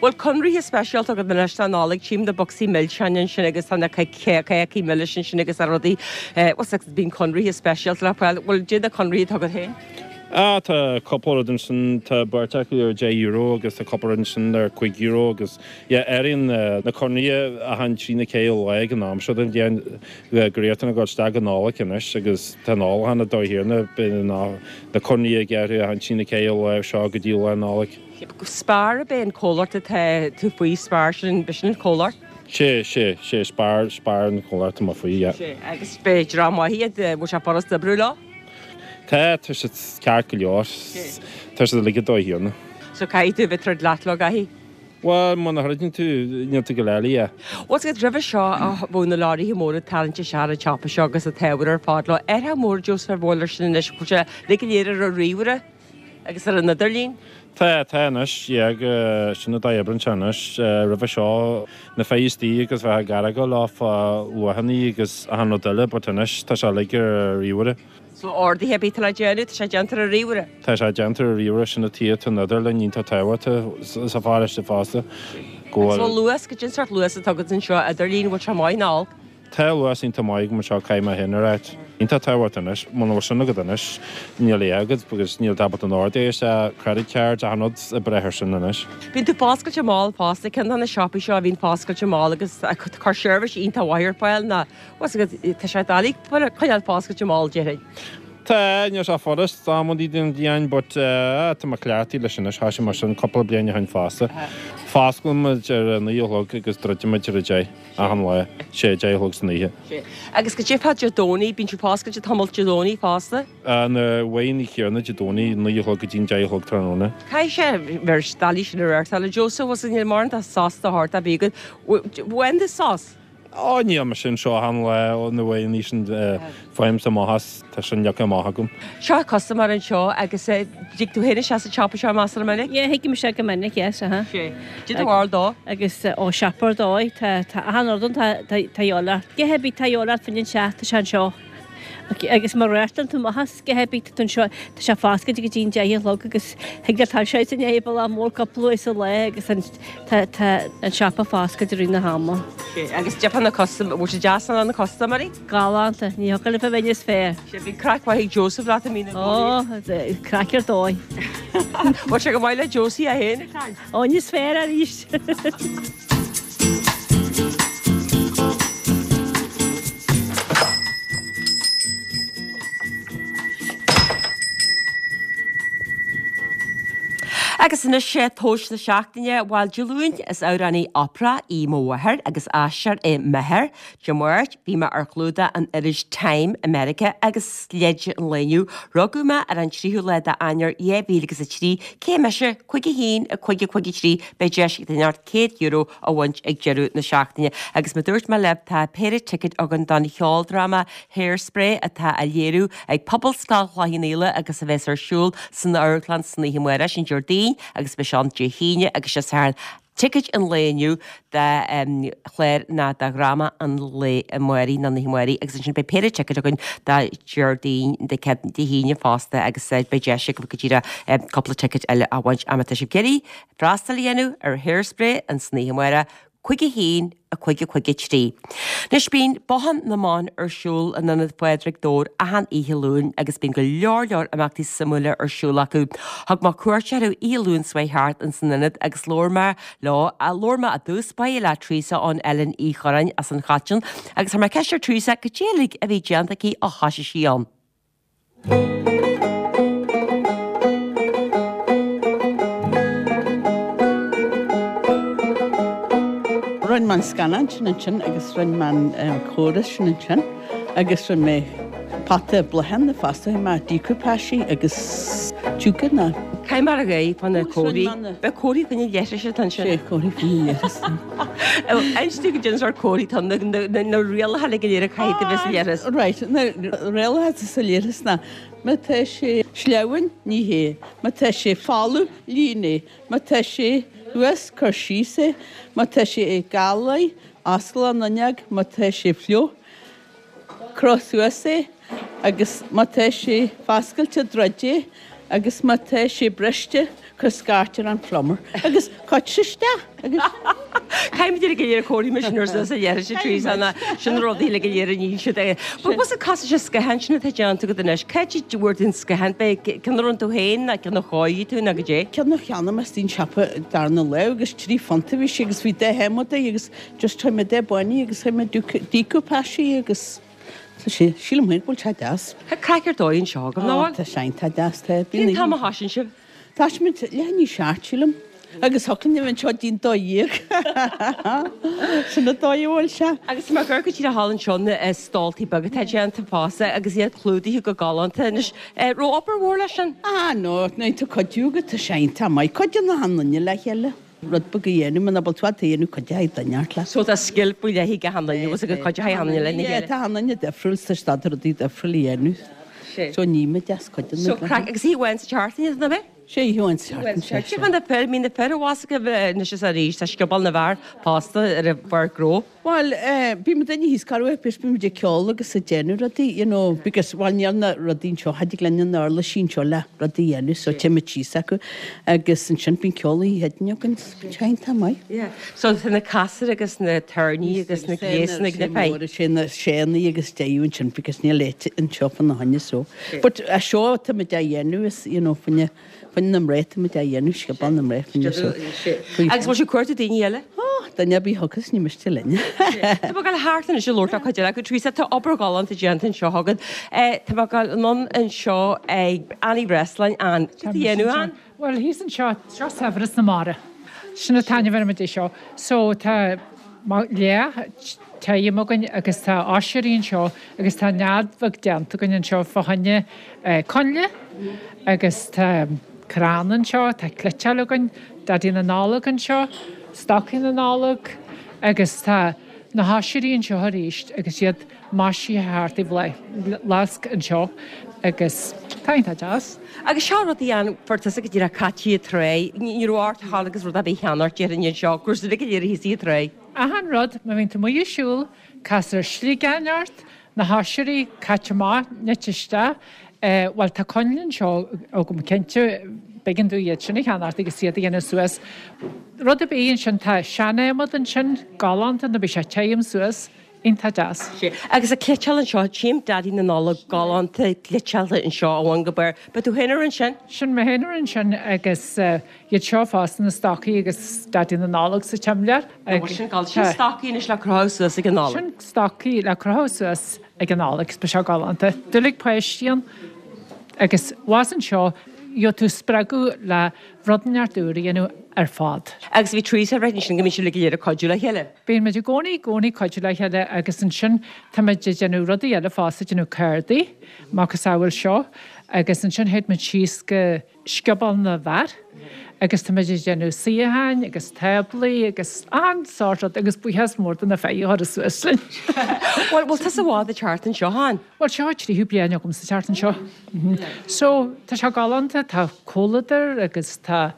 Bhfuil conraithe speisialta agat anois don Nollaig? Tchím na bocsaí milseáin ansin agus tá na cácaí milis ansin agus na rudaí, bhuel bíonn conraithe speisialta le fáil, bhfuil, goidé na conraithe atá agat féin? Ah, tá cúpla rud ansin, tá beirt acu ar deich euro agus tá cúpla rud ansin ar cúig euro agus yeah, athraíonn na conraithe achan trí nó ceithre lá ag an am seo den bhliain go rialta ag dul isteach go Nollaig anois agus tá an ólachán ag dóigh thiarna, bíonn na conraithe ag athrú achan trí nó ceithre lá seo go dtí lá Nollag. Spar ab é an comhlacht atá tú faoi, Spar, sin, b'shin an comhlacht? Sé, sé, sé, Spar, Spar an comhlacht atá mé faoi, yeah. Sé, agus b'é dream maith iad, bhfuil sé furast oibriú leo? Tá, tá siad ceart go leor. Tá siad uilig ag dóigh thiarna. So caithfidh tú a bheith ag troid leat leo, gcaithfidh? Bhuel, muna throideann tú, níl tú ag gabháil eile, yeah. Bhuel, is roimhe seo a bheadh na leoraithe móra ag tarraingt isteach ar an tsiopa seo agus an t-ábhar ar fad leo. Athrach mór Joseph ar bhfuil air sin anois, bhfuil sé uilig go léir ar an ríomhaire agus ar an idirlíon? Tá, tá anois, yeah, go, sin an dóigh a oibreann sé anois. Roimhe seo, na fir istigh agus bheith ag argáil leo fá luachanna agus achan rud eile, but anois tá sé uilig ar an ríomhaire. So orduithe ar bith atá le déanamh, tá sé déanta ar an ríomhaire? Tá sé déanta ar an ríomhaire, sin an tuige atá an idirlíon iontach tábhachtach sa pharóiste fosta. Go bhfuil. So luas, goidé an sórt luas atá agat anseo, idirlíon, bhfuil sé maith nó olc? Tá luas iontach maith agam anseo, caithfidh mé féin a ráit. Iontach tábhachtach anois, muna bhfuil sin agat anois, níl a dhath agat because níl tú ábalta an orduithe isteach, credit cards, achan rud ag brath ar sin anois. Bíonn tú foscailte mall fosta, ceann de na siopaí seo a bhíonn foscailte mall agus cuir seirbhís iontach mhaith ar fáil ná Bhuel, tá sé doiligh coinneáil foscailte mall, déarfainn. Tá, níl sé furast amantaí den bhliain but tá mé cleachtaithe leis anois, thoisigh mé sin cúpla bliain ó shin fosta. Fosclaíonn muid ar a naoi a chlog agus druideann muid ar a deich achan lá, sé a deich a chlog san oíche. Agus goidé fá Dé Domhnaigh, bíonn sibh foscailte tamall Dé Domhnaigh fosta? Na uaireanta céanna Dé Domhnaigh, naoi a chlog go dtí an deich a chlog tráthnóna. Caithfidh sé bheith doiligh sin a reáchtáil, a Joseph, bhuel níl mórán de sos de shórt ar bith agat. Bhain tú sos? Ó, níl mise anseo achan lá ó na uaireanta sin faighimse amach as, tá sin leagtha amach agam. Seo custaiméir anseo agus dtig tú féin isteach sa tsiopa seo measartha minic? Yeah, thig mise go minic, yes, uh-huh. Sé. Goidé do bharúil dó. Agus ó siopa ar dóigh, tá tá achan rud ann, tá tá tá a dhíobháil ort. Goidé ar bith tá a dhíobháil ort fán teach, tá sé anseo. Agus má reáchtálann tú amach as goidé ar bith tá tú anseo, tá sé foscailte go dtí an deich a chlog agus thig leat tá sé san bealach mór cúpla uair sa lá agus an tá tá an siopa foscailte i rith na hama. Agus deirfeá na custom, bhfuil sé deas ná na custaiméirí? Galánta, ní thiocfadh libh a bheith níos fearr. Sé bhí craic mhaith ag Joseph leat i mí na Ó, craic ar dóigh. Bhfuil sé go maith le Josie é féin ag caint? Ó, níos fearr arís. Agus anois sé tomhas na seachtaine, bhuel Dé Luain is amhránaí opera í mo mháthair agus aisteoir é m'athair. Dé Máirt bhí mé ar chlúdach an iris Time i Meiriceá agus leid an lae inniu, rugadh mé ar an tríú lá d'Eanáir dhá mhíle agus a trí, cé mise, cúig a haon, a cúig a cúig a trí, beidh deis ag duine inteacht céad euro a bhaint ag deireadh na seachtaine. Agus mar dúirt mé libh, tá péire ticéad againn don cheoldráma Hairspray atá á léiriú ag Pobalscoil Chloich Cheann Fhaola agus a bheas ar siúl san amharclann san oíche amárach, sin Déardaoin agus beidh sé ann Dé hAoine agus Dé Sathairn. Ticéid an lae inniu do chlár ná do dhráma an lae amáirigh nó na hoíche amáirigh agus ansin beidh péire ticéad againn do Déardaoin Dé hAoine fosta agus beidh deis agaibh go díreach cúpla ticéad eile a bhaint. Má tá sibh ag iarraidh freastal a dhéanamh ar Hairspray an san oíche amárach, cúig a haon, a cúig a cúig a trí. Anois bíonn Bothán na mBan ar siúl in Ionad Phádraig Dobhair achan oíche Luain agus bíonn go leor leor imeachtaí suimiúla ar siúl acu. Thug mé cuairt orthu oíche Luain seo thart ins an ionad agus labhair mé leo, labhair mé i dtús báire le Teresa ón Eilean Uí Chorráin as an Choiteann agus chuir mé ceist ar Teresa cad é uilig a bhí déanta aici ó thoisigh sí ann. Rinne mé an scannán sin ansin agus rinne mé an córas sin ansin agus rinne mé pota bláthanna fosta, rinne mé decoupage agus tiúchan na. Caithfidh mé a rá fá na comharthaí. Beidh comharthaí faoina leithris atá ansin. Sé comharthaí faoina leithris. Inis dúinn cad é an sórt comharthaí atá ann, na rialacha le go léir a caithfidh tú bheith sa leithreas. Right, na rialacha sa leithreas ná má tá sé sleamhain, nigh é, má tá sé folamh, líon é, má tá sé thuas, cuir síos é, má tá sé galaithe, oscail an fhuinneog, má tá sé fliuch, croch suas é agus má tá sé foscailte druid é agus má tá sé briste cuir scairt ar an phlumber agus cuir isteach agus. Caithfimid uilig go léir comharthaí mar sin ar suas a leithris a Teresa ná sin na rudaí uilig go léir a níonn siad. But what's it cost sé sciathán sin atá déanta agat anois? Cá háit a bhfuair tú an sciathán? B'é ceann a rinne tú féin ná ceann a chóirigh tú ná goidé? Ceann a cheannaigh mé istigh i siopa darna lá agus trí phunt a bhí sé agus bhí dath adhmaid air agus just chuir mé dath bán air agus chuir mé decoupage agus tá sé, sílim féin go bhfuil sé deas. Tá craic ar dóigh anseo agam, nach bhfuil? Tá sé iontach deas, tá. Cén t-am a thosaíonn sibh? Tosaíonn muid leath i ndiaidh a seacht, sílim. Agus thiocfadh linn a bheith anseo dtí'n dó dhéag. Sin an dóigh a bhfuil sé. Agus tá mé ag amharc go díreach thall anseo na stóltaí beaga atá déanta fosta agus iad clúdaithe go galánta anois. Raibh obair mhór leis sin? Ah no, nuair atá cuidiú agat tá sé iontach maith. Cuidíonn achan duine le chéile. Rud beag a dhéanamh, muna bhfuil tú ag déanamh cuideoidh duine ort leat. So tá scil faoi leith ag achan duine, agus go gcuideoidh achan duine lena chéile. Tá achan duine difriúil sa staid rudaí difriúil a dhéanamh. So ní muid as cuid de na. So craic agus oíche amháin sa tseachtain iad, nach ea? Sé oíche amháin sa tseachtain, sé. Cé fá na fir, mbíonn na fir abhus agaibh anois is arís, tá scioból na bhfear fosta ar an bpáirc ghnó. Bhuel, eh, bíonn muid duine thíos corruair, because bíonn muid ag ceol agus ag déanamh rudaí, you know, because, bhuel, níl na rudaí anseo, cha dtig linn na uirlisí anseo le rudaí a dhéanamh, so téann muid síos acu agus ansin bíonn ceol oíche Chéadaoin againn, bíonn sé iontach maith. Yeah. So tá na casúir agus na tairní agus na gléasanna ag na fir. Sé na séanaí agus deiú ansin because níl áit anseo fá na choinne so. But a seo tá muid á dhéanamh is, you know, fá choinne fá choinne na mná tá muid á dhéanamh, scioból na mná fá choinne so. Agus bhfuil sibh ag cuartú daoine eile? Ó, duine ar bith a thiocfas, ní miste linn. Tá mé ag dul thart anois ag labhairt le cuid eile acu. Teresa, tá obair ghalánta déanta anseo agat. Tá mé ag dul anonn anseo ag Annie Breslin, Ann. Cad tá á dhéanamh, Ann? Bhuel, thíos anseo, seo saibhreas na mara. Sin an t-ainm ar muid é seo. So tá leath tirim againn agus tá oisrí anseo agus tá nead bheag déanta againn anseo fá choinne coinnle agus tá crann anseo, tá cniotáil againn, Daidí na Nollag anseo, stocaí na Nollag agus tá na hoisrí anseo arís agus iad maisithe thart i bhfleasc anseo agus tá iontach deas. Agus seo rudaí an fuair tusa go díreach caite ag tráigh, ní raibh ort a ghabháil agus rud ar bith a cheannacht déarfainn anseo, go raibh siad go léir thíos ag tráigh. Achan rud, má bhíonn tú amuigh ag siúl, castar sliogán ort, na hoisrí caite amach, nite isteach, bhuel tá coinnle anseo agam cinnte, b'éigean domh iad sin a cheannacht agus iad a dhéanamh suas. Rud ar bith ansin, tá sean-adhmad ansin, galánta, nuair a bhí sé tirim suas, iontach deas. Sea, agus an chniotáil anseo, tchím Daidí na Nollag galánta cniotáilte anseo ó bhun go barr. Ba tú féin a rinne sin? Sin mé féin a rinne sin agus iad seo fosta, na stocaí agus Daidí na Nollag sa tsimléar. Agus sin galánta. Sin stocaí anois le crochadh suas ag an Nollaig. Sin stocaí le crochadh suas ag an Nollaig, beidh sé galánta. Doiligh páistí ann agus abhus anseo gheobhaidh tú spreagadh le rud inteacht úr a dhéanamh ar fad. Agus bhí Teresa ag ráit ansin go mbíonn sibh uilig go léir ag cuidiú le chéile. Bíonn muid i gcónaí, i gcónaí ag cuidiú le chéile agus ansin tá muid ag déanamh rudaí eile fosta, ag déanamh cártaí, macasamhail seo agus ansin théid muid síos go Scioból na bhFear agus tá muid ag déanamh suíocháin agus táblaí agus achan sórt rud agus buíochas mór do na fir a chuir suas linn. Bhuel, bhfuil tusa i bhfad ag teacht anseo, Ann? Bhuel, seo an tríú bliain agam sa teacht anseo. So, tá sé galánta, tá comhluadar agus tá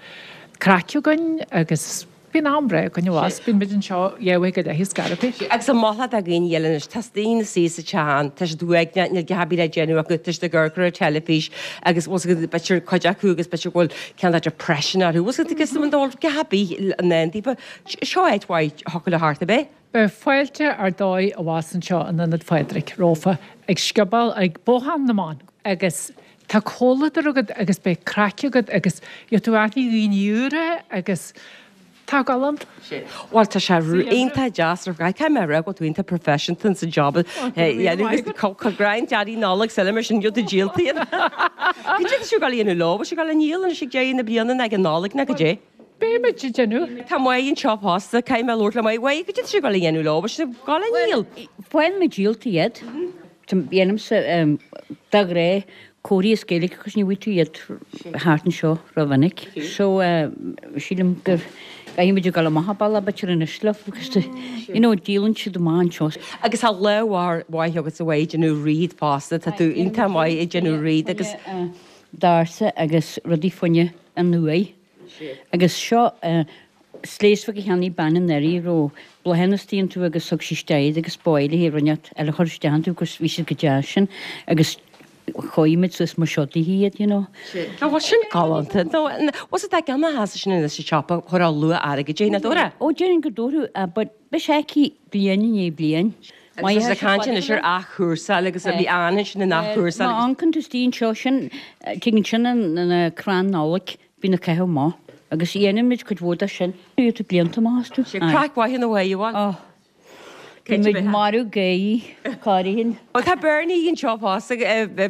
craic againn agus. bíonn am breá againn abhus, bíonn muid anseo dhá uair go leith is scaití. Agus an mholfá do dhaoine eile anois, tá daoine ina suí sa teach ann, tá siad uaigneach, níl a dhath ar bith le déanamh acu, tá siad ag amharc ar an teilifís agus bhfuil 's agat, b'fhéidir cuid acu agus b'fhéidir go bhfuil cineál de depression orthu, bhfuil 's agat, agus an dul, a dhath ar bith i ndán daofa, seo áit mhaith a thiocfadh leo theacht, ab é? Beidh fáilte ar dóigh abhus anseo in Ionad Phádraig romhaibh ag Scioból ag Bothán na mBan agus tá comhluadar agat agus beidh craic agat agus gheobhaidh tú aithne dhaoine úra agus tá galánta. Bhuel tá sé iontach deas ar fad. Caithfidh mé a rá go bhfuil tú iontach professional sa job a dhéanamh agus greim Daidí Nollag is eile mar sin gheobhaidh tú díolta iad. Cad é tá sibh ag dul a dhéanamh leo? Bhfuil sibh ag dul a ndíol anois ag deireadh na bliana nó ag an Nollaig nó cad é? Beidh muid ag déanamh. Tá Máire anseo fosta, caithfidh mé labhairt le Máire. Mháire, cad é tá sibh ag dul a dhéanamh leo? Bhfuil sibh ag dul a ndíol? Faigheann muid díolta iad. Déanaimse de ghnáth comharthaí as Gaeilge agus ní bhfaighidh tú iad thart anseo rómhinic. So sílim gur caithfidh muid a dhul amach an bealach b'fhéidir anois leo agus you know díolann siad amach anseo. Agus tá lámh mhaith agat a Mháire ag déanamh wreath fosta, tá tú iontach maith ag déanamh wreath agus. Dársa agus rudaí fá choinne an uaigh. Agus seo sléas bheag a cheannaigh bean anuraidh a raibh bláthanna istigh iontu agus thug sí isteach iad agus ba mhaith léi rud inteacht eile a chur isteach iontu agus bhí siad go deas sin agus chóirigh muid suas mar seo daoithi iad, you know. Nó bhuel sin galánta. Nó bhfuil 's agat tá ceann a sheasamh sin anois sa tsiopa chuirfeá luach airgid air, nach dtabharfá? Ó déarfainn go dtabharfadh but beidh sé aici bliain i ndiaidh bliain. Agus tá sé ag caint anois ar athchúrsáil agus bhí Ann ansin in athchúrsáil Má agus. amharcann tú istigh anseo sin, tuigeann sin an crann Nollag. Bíonn ag caitheamh amach agus dhéanann muid cuid mhór de sin. Iad blianta amach astu. Sé craic mhaith ina bhfaighe, bhuel. Oh. Bhí muid marbh gáirí, cáirithin. Bhuel tá Bernie anseo fosta,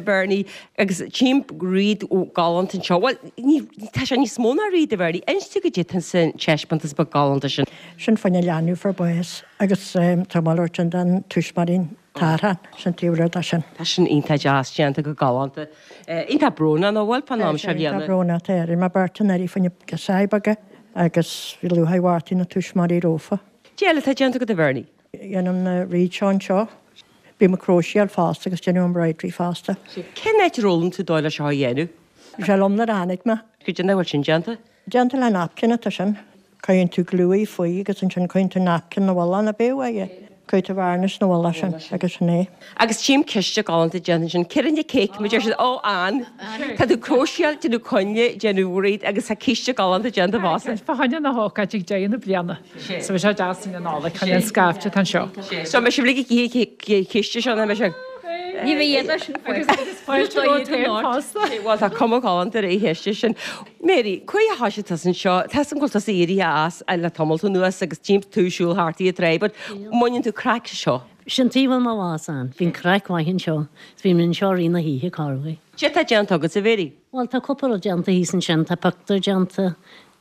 Bernie, agus tchím wreath galánta anseo. Bhuel, ní, tá sé níos mó ná wreath a Bhernie. Inis dúinn goidé atá sa taispeántas beag galánta sin. Sin fá choinne leanbh fuair bás agus tá malairt sin den tuismitheoirín. Tartha, sin taobh thiar de sin. Tá sin iontach deas, déanta go galánta. Iontach brónach, nach bhfuil, fán am seo bliana. Iontach brónach, tá ar mé beirt anuraidh fá choinne girseachaí beaga agus bhí lúcháir Mhártain na tuismitheoirí rófa. Cad é eile atá déanta agat a Bhernie? Déanaim na wreaths seo anseo. Bím ag cróiséáil fosta agus déanaim embroidery fosta. Cén áit ar fhoghlaim tú dóigh le seo a dhéanamh? Bhí sé liom nuair a tháinig mé. Cad é an dóigh a bhfuil sin déanta? Déanta le napkin atá sin. Cuireann tú glue faoi agus ansin cuireann tú napkin 'na mhullach, ab é uaidh é? Cuireann tú varnish 'na mhullach sin agus sin é. Agus tchím císte galánta déanta ansin. Cé rinne cake mar deir siad? Ó, Ann. Tá tú cróiséáil, déanamh coinnle, déanamh wreath agus tá císte galánta déanta fosta. Fá choinne na hócáide ag deireadh na bliana. So bhí sé deas in Nollaig chun an scaifte atá anseo. So mbeidh sibh uilig ag ithe císte seo, nach mbeidh sibh? Ní bheidh iad sin Agus fáilte romhat féin fosta. Bhuel tá cuma ghalánta ar an chíste sin. Mary, cá huair a thoisigh tusa anseo? Tá 'fhios a'm go bhfuil tusa éirithe as le tamalt anuas agus tchím tú ag siúl thart ar an trá, but mbaineann tú craic as seo? Sin taobh a bhfuil mo bhás ann. Bíonn craic mhaith anseo. Is bíonn mé anseo i rith na hoíche, corruair. Cad é atá déanta agatsa, Mary? Bhuel, tá cúpla rud déanta thíos ansin. Tá pictiúr déanta,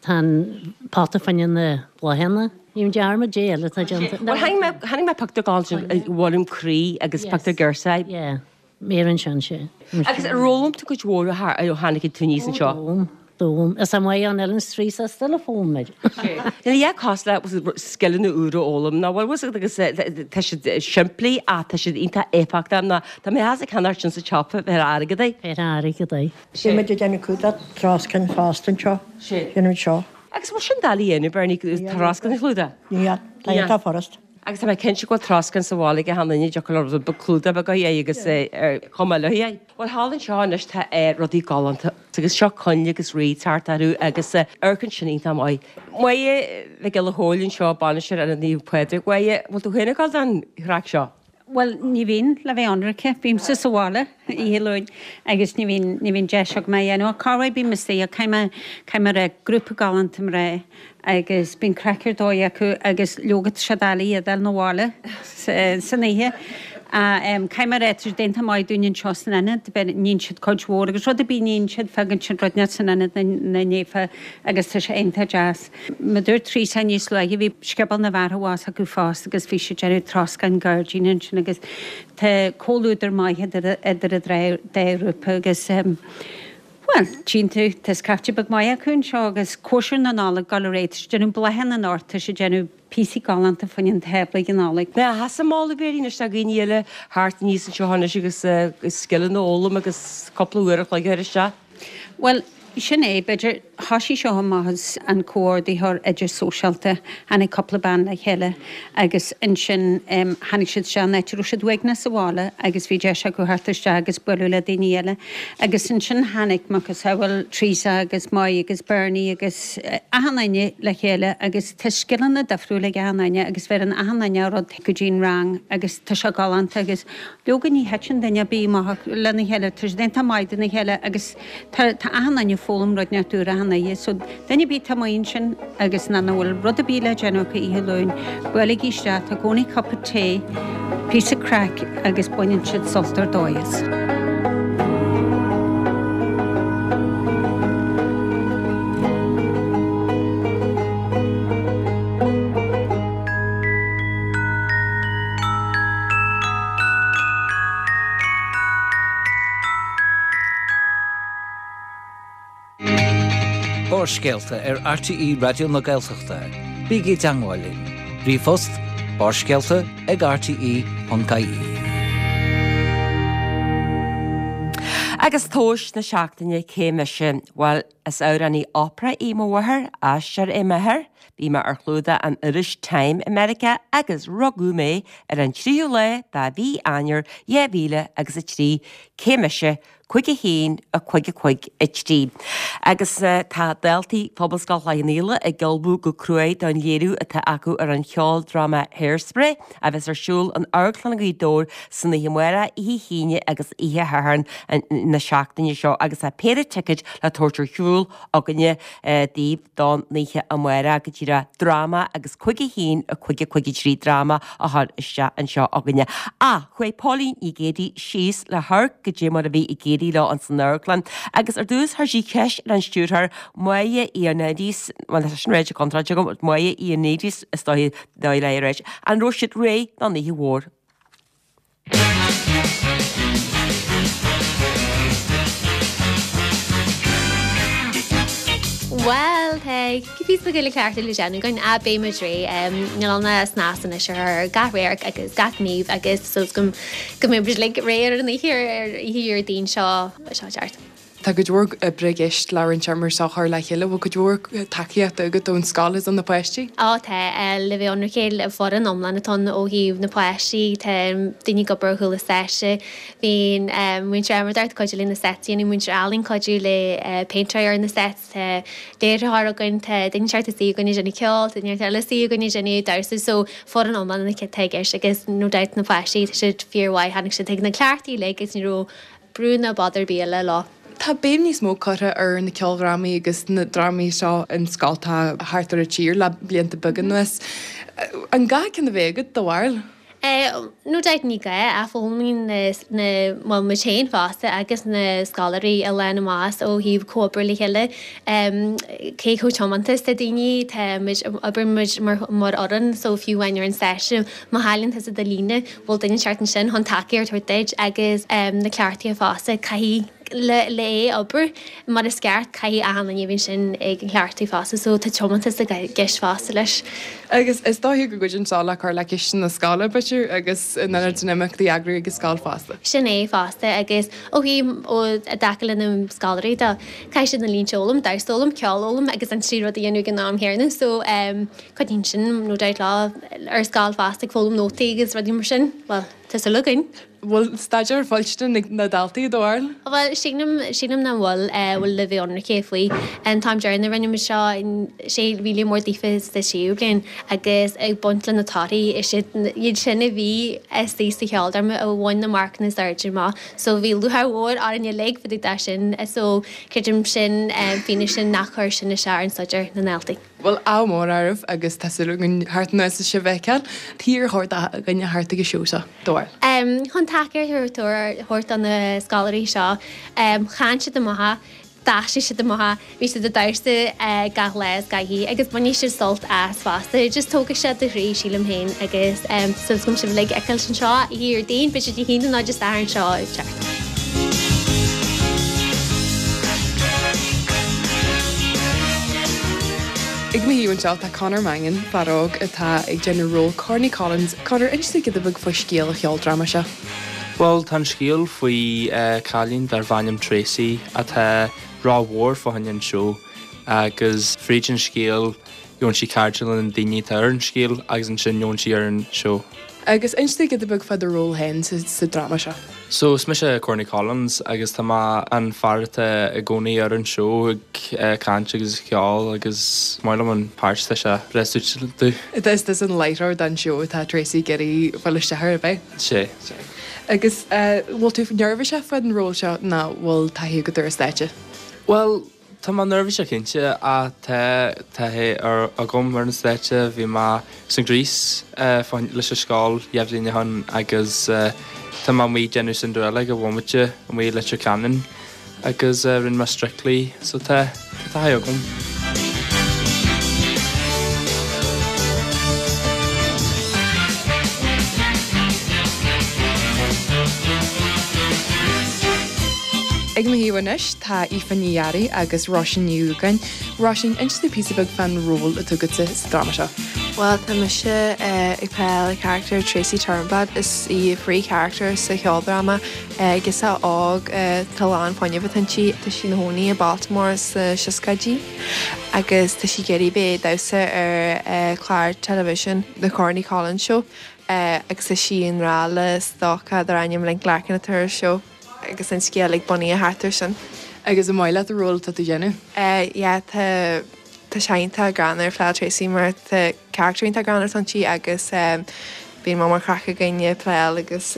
tá an pota fá choinne na bláthanna. Ní dearmad dé eile atá déanta. Bhuel, chonaic mé, chonaic mé pictiúr galánta i bhfoirm croí agus pictiúr girseach. Yeah, Mary ansin, sé. Agus ar fhoghlaim tú cuid mhór ó tháinig tú aníos anseo? D'fhoghlaim, d'fhoghlaim. Is é maith an Ellen Street is still a foghlaim muid. Níl a dhath cosúil le scileanna úra a fhoghlaim, nach bhfuil fhios agat agus tá siad simplí ach tá siad iontach éifeachtach ná tá mé as ag ceannacht sin sa tsiopa fé airgead é. Fé airgead é. Bhí muid ag déanamh clúdach troscáin fosta anseo. Déanamh seo. Agus bhfuil sin doiligh a dhéanamh, Bernie, troscán a chlúdach? Níl, tá iontach furast. Agus tá mé cinnte go bhfuil troscán sa bhaile ag achan duine, dtiocfadh leo rud beag clúdach beag a dhéanamh agus ar chuma leo é. Bhuel, thall anseo anois tá rudaí galánta agus seo coinnle agus wreaths thart orthu agus amharcann sin iontach maith. Máire Mhic Giolla Chóill anseo, bainisteoir Ionad Naomh Pádraig. Máire, bhfuil tú féin ag dul don chraic seo? Bhuel, ní bhíonn, le bheith ionraice. Bímse sa bhaile oíche Luain agus ní bhíonn, ní bhíonn deis agam é a dhéanamh. Ach corruair bím istigh ach caithfidh mé, caithfidh mé a rá, grúpa galánta mná agus bíonn craic ar dóigh acu agus leoga tá sé doiligh iad a fháil 'na bhaile san oíche. Caithfidh mé a rá, tá siad iontach maith dúinn anseo san ionad, níonn siad cuid mhór agus rud ar bith a níonn siad, fágann siad rud inteacht san ionad ina ndiaidh agus tá sé iontach deas. Mar a dúirt Teresa níos luaithe, bhí scioból na bhfear abhus acu fosta agus bhí siad ag déanamh troscán gairdín ansin agus tá comhluadar maith idir idir an dá ghrúpa agus bhuel, tchíonn tú, tá scaifte beag maith acu anseo agus cóisir na Nollag ag dul ar aghaidh, tá siad ag déanamh bláthanna anocht, tá siad ag déanamh píosaí galánta fá choinne an tábla ag an Nollaig. Ná theastaigh moladh Mhéirín anois do dhaoine eile theacht aníos anseo anois agus scileanna a fhoghlaim agus cúpla uair a chloig a chur isteach? Bhuel, Sin é, b'fhéidir, thoisigh seo amach as an comhordaitheoir idirsóisialta, tháinig cúpla bean le chéile agus ansin tháinig siad isteach in áit a raibh siad uaigneach sa bhaile agus bhí deis acu theacht isteach agus bualadh le daoine eile. Agus ansin tháinig macasamhail Teresa agus Moy agus Bernie agus achan duine le chéile agus tá scileanna difriúla ag achan duine agus bheireann achan duine rud go dtí an rang agus tá sé galánta agus leoga ní thiteann duine ar bith amach lena chéile, tá siad iontach maith dona chéile agus tá tá achan duine ag foghlaim rud inteacht úr achan oíche so duine ar bith atá amuigh ansin agus nach bhfuil rud ar bith le déanamh acu oíche Luain, buailigí isteach, tá i gcónaí cupa tae, píosa craic agus baineann siad sult ar dóigh as. Barrscéalta ar RTÉ Raidió na Gaeltachta. Bígí i dteangmháil linn. Ríomhphost, Barrscéalta ag rte ponc ie. Agus tomhas na seachtaine cé mise? Bhuel, is amhránaí opera í mo mháthair, aisteoir é m'athair, bhí mé ar chlúdach an iris Time i Meiriceá agus rugadh mé ar an tríú lá de mhí Eanáir dhá mhíle agus a trí. Cé mise? cúig a haon, a cúig a cúig a trí. Agus tá daltaí Phobalscoil Chloich Cheann Fhaola ag ullmhú go cruaidh don léiriú atá acu ar an cheoldráma Hairspray a bheas ar siúl in Amharclann Ghaoth Dobhair san oíche amárach, oíche hAoine agus oíche Shathairn na seachtaine seo agus tá péire ticéid le tabhairt ar shiúl againne daoibh don oíche amárach go díreach dráma agus cúig a haon a cúig a cúig a trí dráma a chur isteach anseo againne. Ach chuaigh Póilín Ní Ghéibheannaigh síos le hamharc goidé mar a bhí ag éirí leo ins an amharclann agus ar dtús chuir sí ceist ar an stiúrthóir Máire Ioannidis, bhuel tá sin ráite contráilte agam, Máire Ioannidis is dóigh dóigh léi a ráit, an raibh siad réidh don oíche mhór. Bhuel, tá píosa beag le ceartú le déanamh againn, ach beidh muid réidh. Níl ann ach snas anois ar gach radharc agus gach gníomh agus tá súil agam go mbeidh muid uilig réidh ar an oíche ar oíche Dhéardaoin seo seo ag teacht. Tá cuid mhór oibre i gceist le roinnt mar seo a chur le chéile. Bhfuil cuid mhór tacaíochta agat ón scoil is ó na páistí? Á tá, le bheith ionraic, foireann iomlán atá ann ó thaobh na páistí, tá daoine ag obair ar chúl an stáitse, bíonn muintir adhmadóireachta ag cuidiú le na sets a dhéanamh, muintir ealaíon ag cuidiú le péinteáil ar na sets, tá léiritheoir againn, tá duine inteacht istigh againn ag déanamh ceoil, tá duine inteacht eile istigh againn ag déanamh damhsa, so foireann iomlán atá i gceist agus no doubt na páistí, tá siad fíormhaith, tháinig siad chuig na cleachtaí uilig agus ní raibh brú ná bother ar bith eile leo. Tá béim níos mó curtha ar na ceoldrámaí agus na drámaí seo in scoltacha thart ar an tír le blianta beaga anuas. An gá ceann a bheith agat, do bharúil? No doubt ní gá ach foghlaimíonn na, bhuel muid féin fosta agus na scoláirí a lán amach ó thaobh comhoibriú le chéile. Cé chomh tiomanta is atá daoine, tá muid, oibríonn muid mar mar fhoireann so fiú amháin ar an stáitse má chailleann tusa do líne, bhfuil duine inteacht ansin chun tacaíocht a thabhairt duit agus na cleachtaithe fosta, caithfidh le le é obair mar is ceart, caithfidh achan duine a bheith ansin ag an chleachtadh fosta so tá tiomantas i gceist fosta leis. Agus is dóiche go gcuidíonn seo le cur le ciste na scoile, b'fhéidir, agus in ionad na n-imeachtaí a eagrú ag an scoil fosta. Sin é fosta agus ó thaobh ó i dtaca le na scoláirí de, caithfidh siad na línte a fhoghlaim, damhsa a fhoghlaim, ceol a fhoghlaim agus an trí rud a dhéanamh ag an am chéanna so Cuidíonn sin no doubt leo ar scoil fosta ag foghlaim nótaí agus rudaí mar sin. Bhuel, tá súil againn. Bhfuil staidéar foilsithe ag na daltaí, i do bharúil? Bhuel, sílim, sílim nach bhfuil, bhfuil le bheith ionraic faoi. An t-am deireanach a rinne muid seo, sé mhíle mór daofa sa séú bliain agus ag baint le na torthaí, is iad, iad sin a bhí istigh sa cheoldráma a bhain na marcanna is airde amach. So bhí lúcháir mhór orainn uilig fá dtaobh de sin. So creidim sin fianaise nach chuir sin isteach ar an staidéar na ndaltaí. Bhuel, ádh mór oraibh agus tá súil againn theacht anuas is sibh a fheiceáil. Cad ar chóir do dhuine theacht ag an seó seo, do bharúil? Chun tacaíocht a thabhairt do na scoláirí seo, chan siad amach, d'aistrigh siad amach, bhí siad ag damhsa gach lá is gach oíche agus bainfidh siad sult as fosta. Just tógfaidh sé do chroí, sílim féin, agus tá súil agam sibh uilig a fheiceáil anseo oíche Dhéardaoin, beidh sé Dé hAoine nó Dé Sathairn seo ag teacht. Ag mo thaobh anseo tá Conor Mangan, fear óg atá ag déanamh ról Corny Collins. Conor, inis dúinn giota beag faoi scéal an cheoldráma seo. Bhuel, tá an scéal faoi cailín darb ainm Tracy atá rómhór fá choinne an seó agus fríd an scéal gheobhann sí cairde le na daoine atá ar an scéal agus ansin gheobhann sí ar an seó. Agus inis dúinn giota beag fá do ról féin sa dráma seo. So is mise Corny Collins agus tá mé an fear atá i gcónaí ar an seó ag caint agus ag ceol agus is maith liom an páirt, tá sé breá suiteáilte domh. Is tusa an láithreoir don seó atá Tracy ag iarraidh fáil isteach air, ab ea? Sé, sé. Agus bhfuil tú neirbhíseach faoin ról seo nó bhfuil taithí agat ar an stáitse? Bhuel, tá mé neirbhíseach cinnte ach tá taithí agam ar an stáitse. Bhí mé san Grease leis an scoil dhá bhliain ó shin agus tá mé amuigh ag déanamh Cinderella ag an bhomaite amuigh i Leitir Ceanainn agus rinne mé Strictly so tá taithí agam. Ag mo thaobh anois tá Aoife Ní Fhearraigh agus Róisín Ní Dhúgáin. Róisín, inis dúinn píosa beag fán ról atá agatsa sa dráma seo. Bhuel, tá mise ag pléáil le charachtar Tracy Turnblad. Is í príomhcharachtar sa cheoldráma. Girseach óg tá lán fuinnimh atá inti. Tá sí ina chónaí i Baltimore sna seascaidí agus tá sí ag iarraidh bheith ag damhsa ar chlár television The Corny Collins Show agus tá sí i ngrá le stócach dar ainm Link Larkin atá ar an seó. Agus an scéal ag bunaithe thart air sin. Agus an maith leat an ról atá tú a dhéanamh? Yeah, tá tá sé iontach greannmhar pléáil Tracy mar tá carachtar iontach greannmhar atá inti agus bíonn mór craic againn ag pléáil agus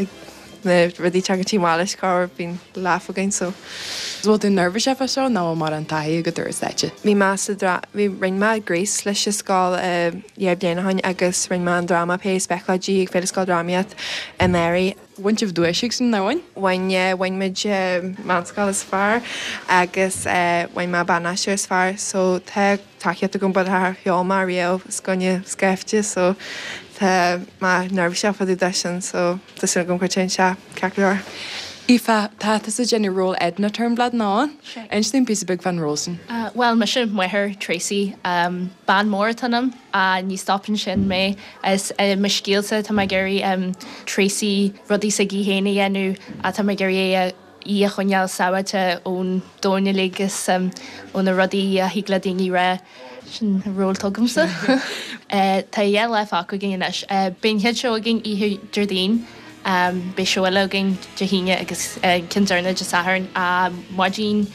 na rudaí tagann sí amach leis corruair bíonn laugh againn so. Bhfuil tú neirbhíseach fá seo nó bhfuil mórán taithí agat ar an stáitse? Bhí mé sa dra bhí rinne mé Grease leis an scoil dhá bhliain ó shin agus rinne mé an dráma Péire Speclóidí ag Féile Scoildrámaíocht anuraidh. Bhain sibh duais ag sin, nár bhain? Bhain, yeah, bhain muid meánscoil is fearr agus bhain mé ban-aisteoir is fearr so tá tacaíocht agam but char cheol mé riamh os coinne scaifte so tá mé neirbhíseach fá dtaobh de sin so tá súil agam go dtéann sé ceart go leor. Aoife, tá tusa ag déanamh ról Edna Turnblad nach ea? Sea. Inis dúinn píosa beag fán ról sin. Bhuel, mise máthair Tracy. Bean mór atá ionam, ní stopann sin mé. Is i mo scéalsa tá mé ag iarraidh Tracy rudaí s'aige féin a dhéanamh, tá mé ag iarraidh é í a choinneáil sábháilte ón domhan uilig is ó na rudaí a thig le daoine rá. Sin an ról atá agamsa. Tá dhá lá fágtha againn anois. Beidh an chéad seó againn oíche Déardaoin, beidh seó eile againn Dé hAoine agus an ceann deireanach Dé Sathairn. Maidin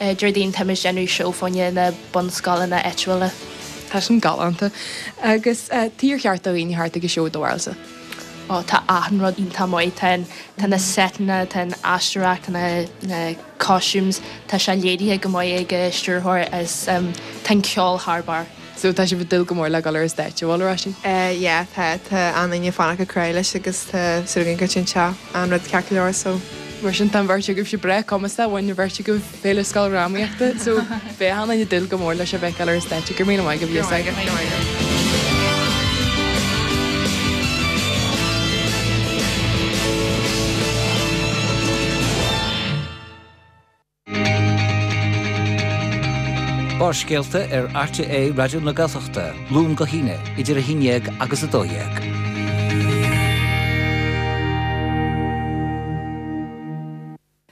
Déardaoin táimid ag déanamh seó fá choinne na bunscoileanna áitiúla. Tá sin galánta. Agus cad é ar cheart do dhaoine theacht ag an seó do bharúilsa? Ó tá achan rud iontach maith, tá an tá na seiteanna, tá an aisteoireacht, tá na na costumes, tá sé léirithe go maith ag an stiúrthóir is tá an ceol thar barr. So tá sibh ag dúil go mór le dul ar an stáitse, bhfuil, a Róisín? Yeah, tá, tá an-daoine ag fanacht go crua leis agus tá súil againn go dtéann sé an rud ceart go leor so. Mar sin tá an bheirt agaibhse breá cumasach, bhain an bheirt agaibh Féile Scoildrámaíochta so beidh achan duine ag dúil go mór leis a bheith ag dul ar an stáitse. Go raibh míle maith agaibh, Go raibh maith agat. Barrscéalta ar RTÉ Raidió na Gaeltachta, Luan go hAoine, idir a haon déag agus a dó dhéag.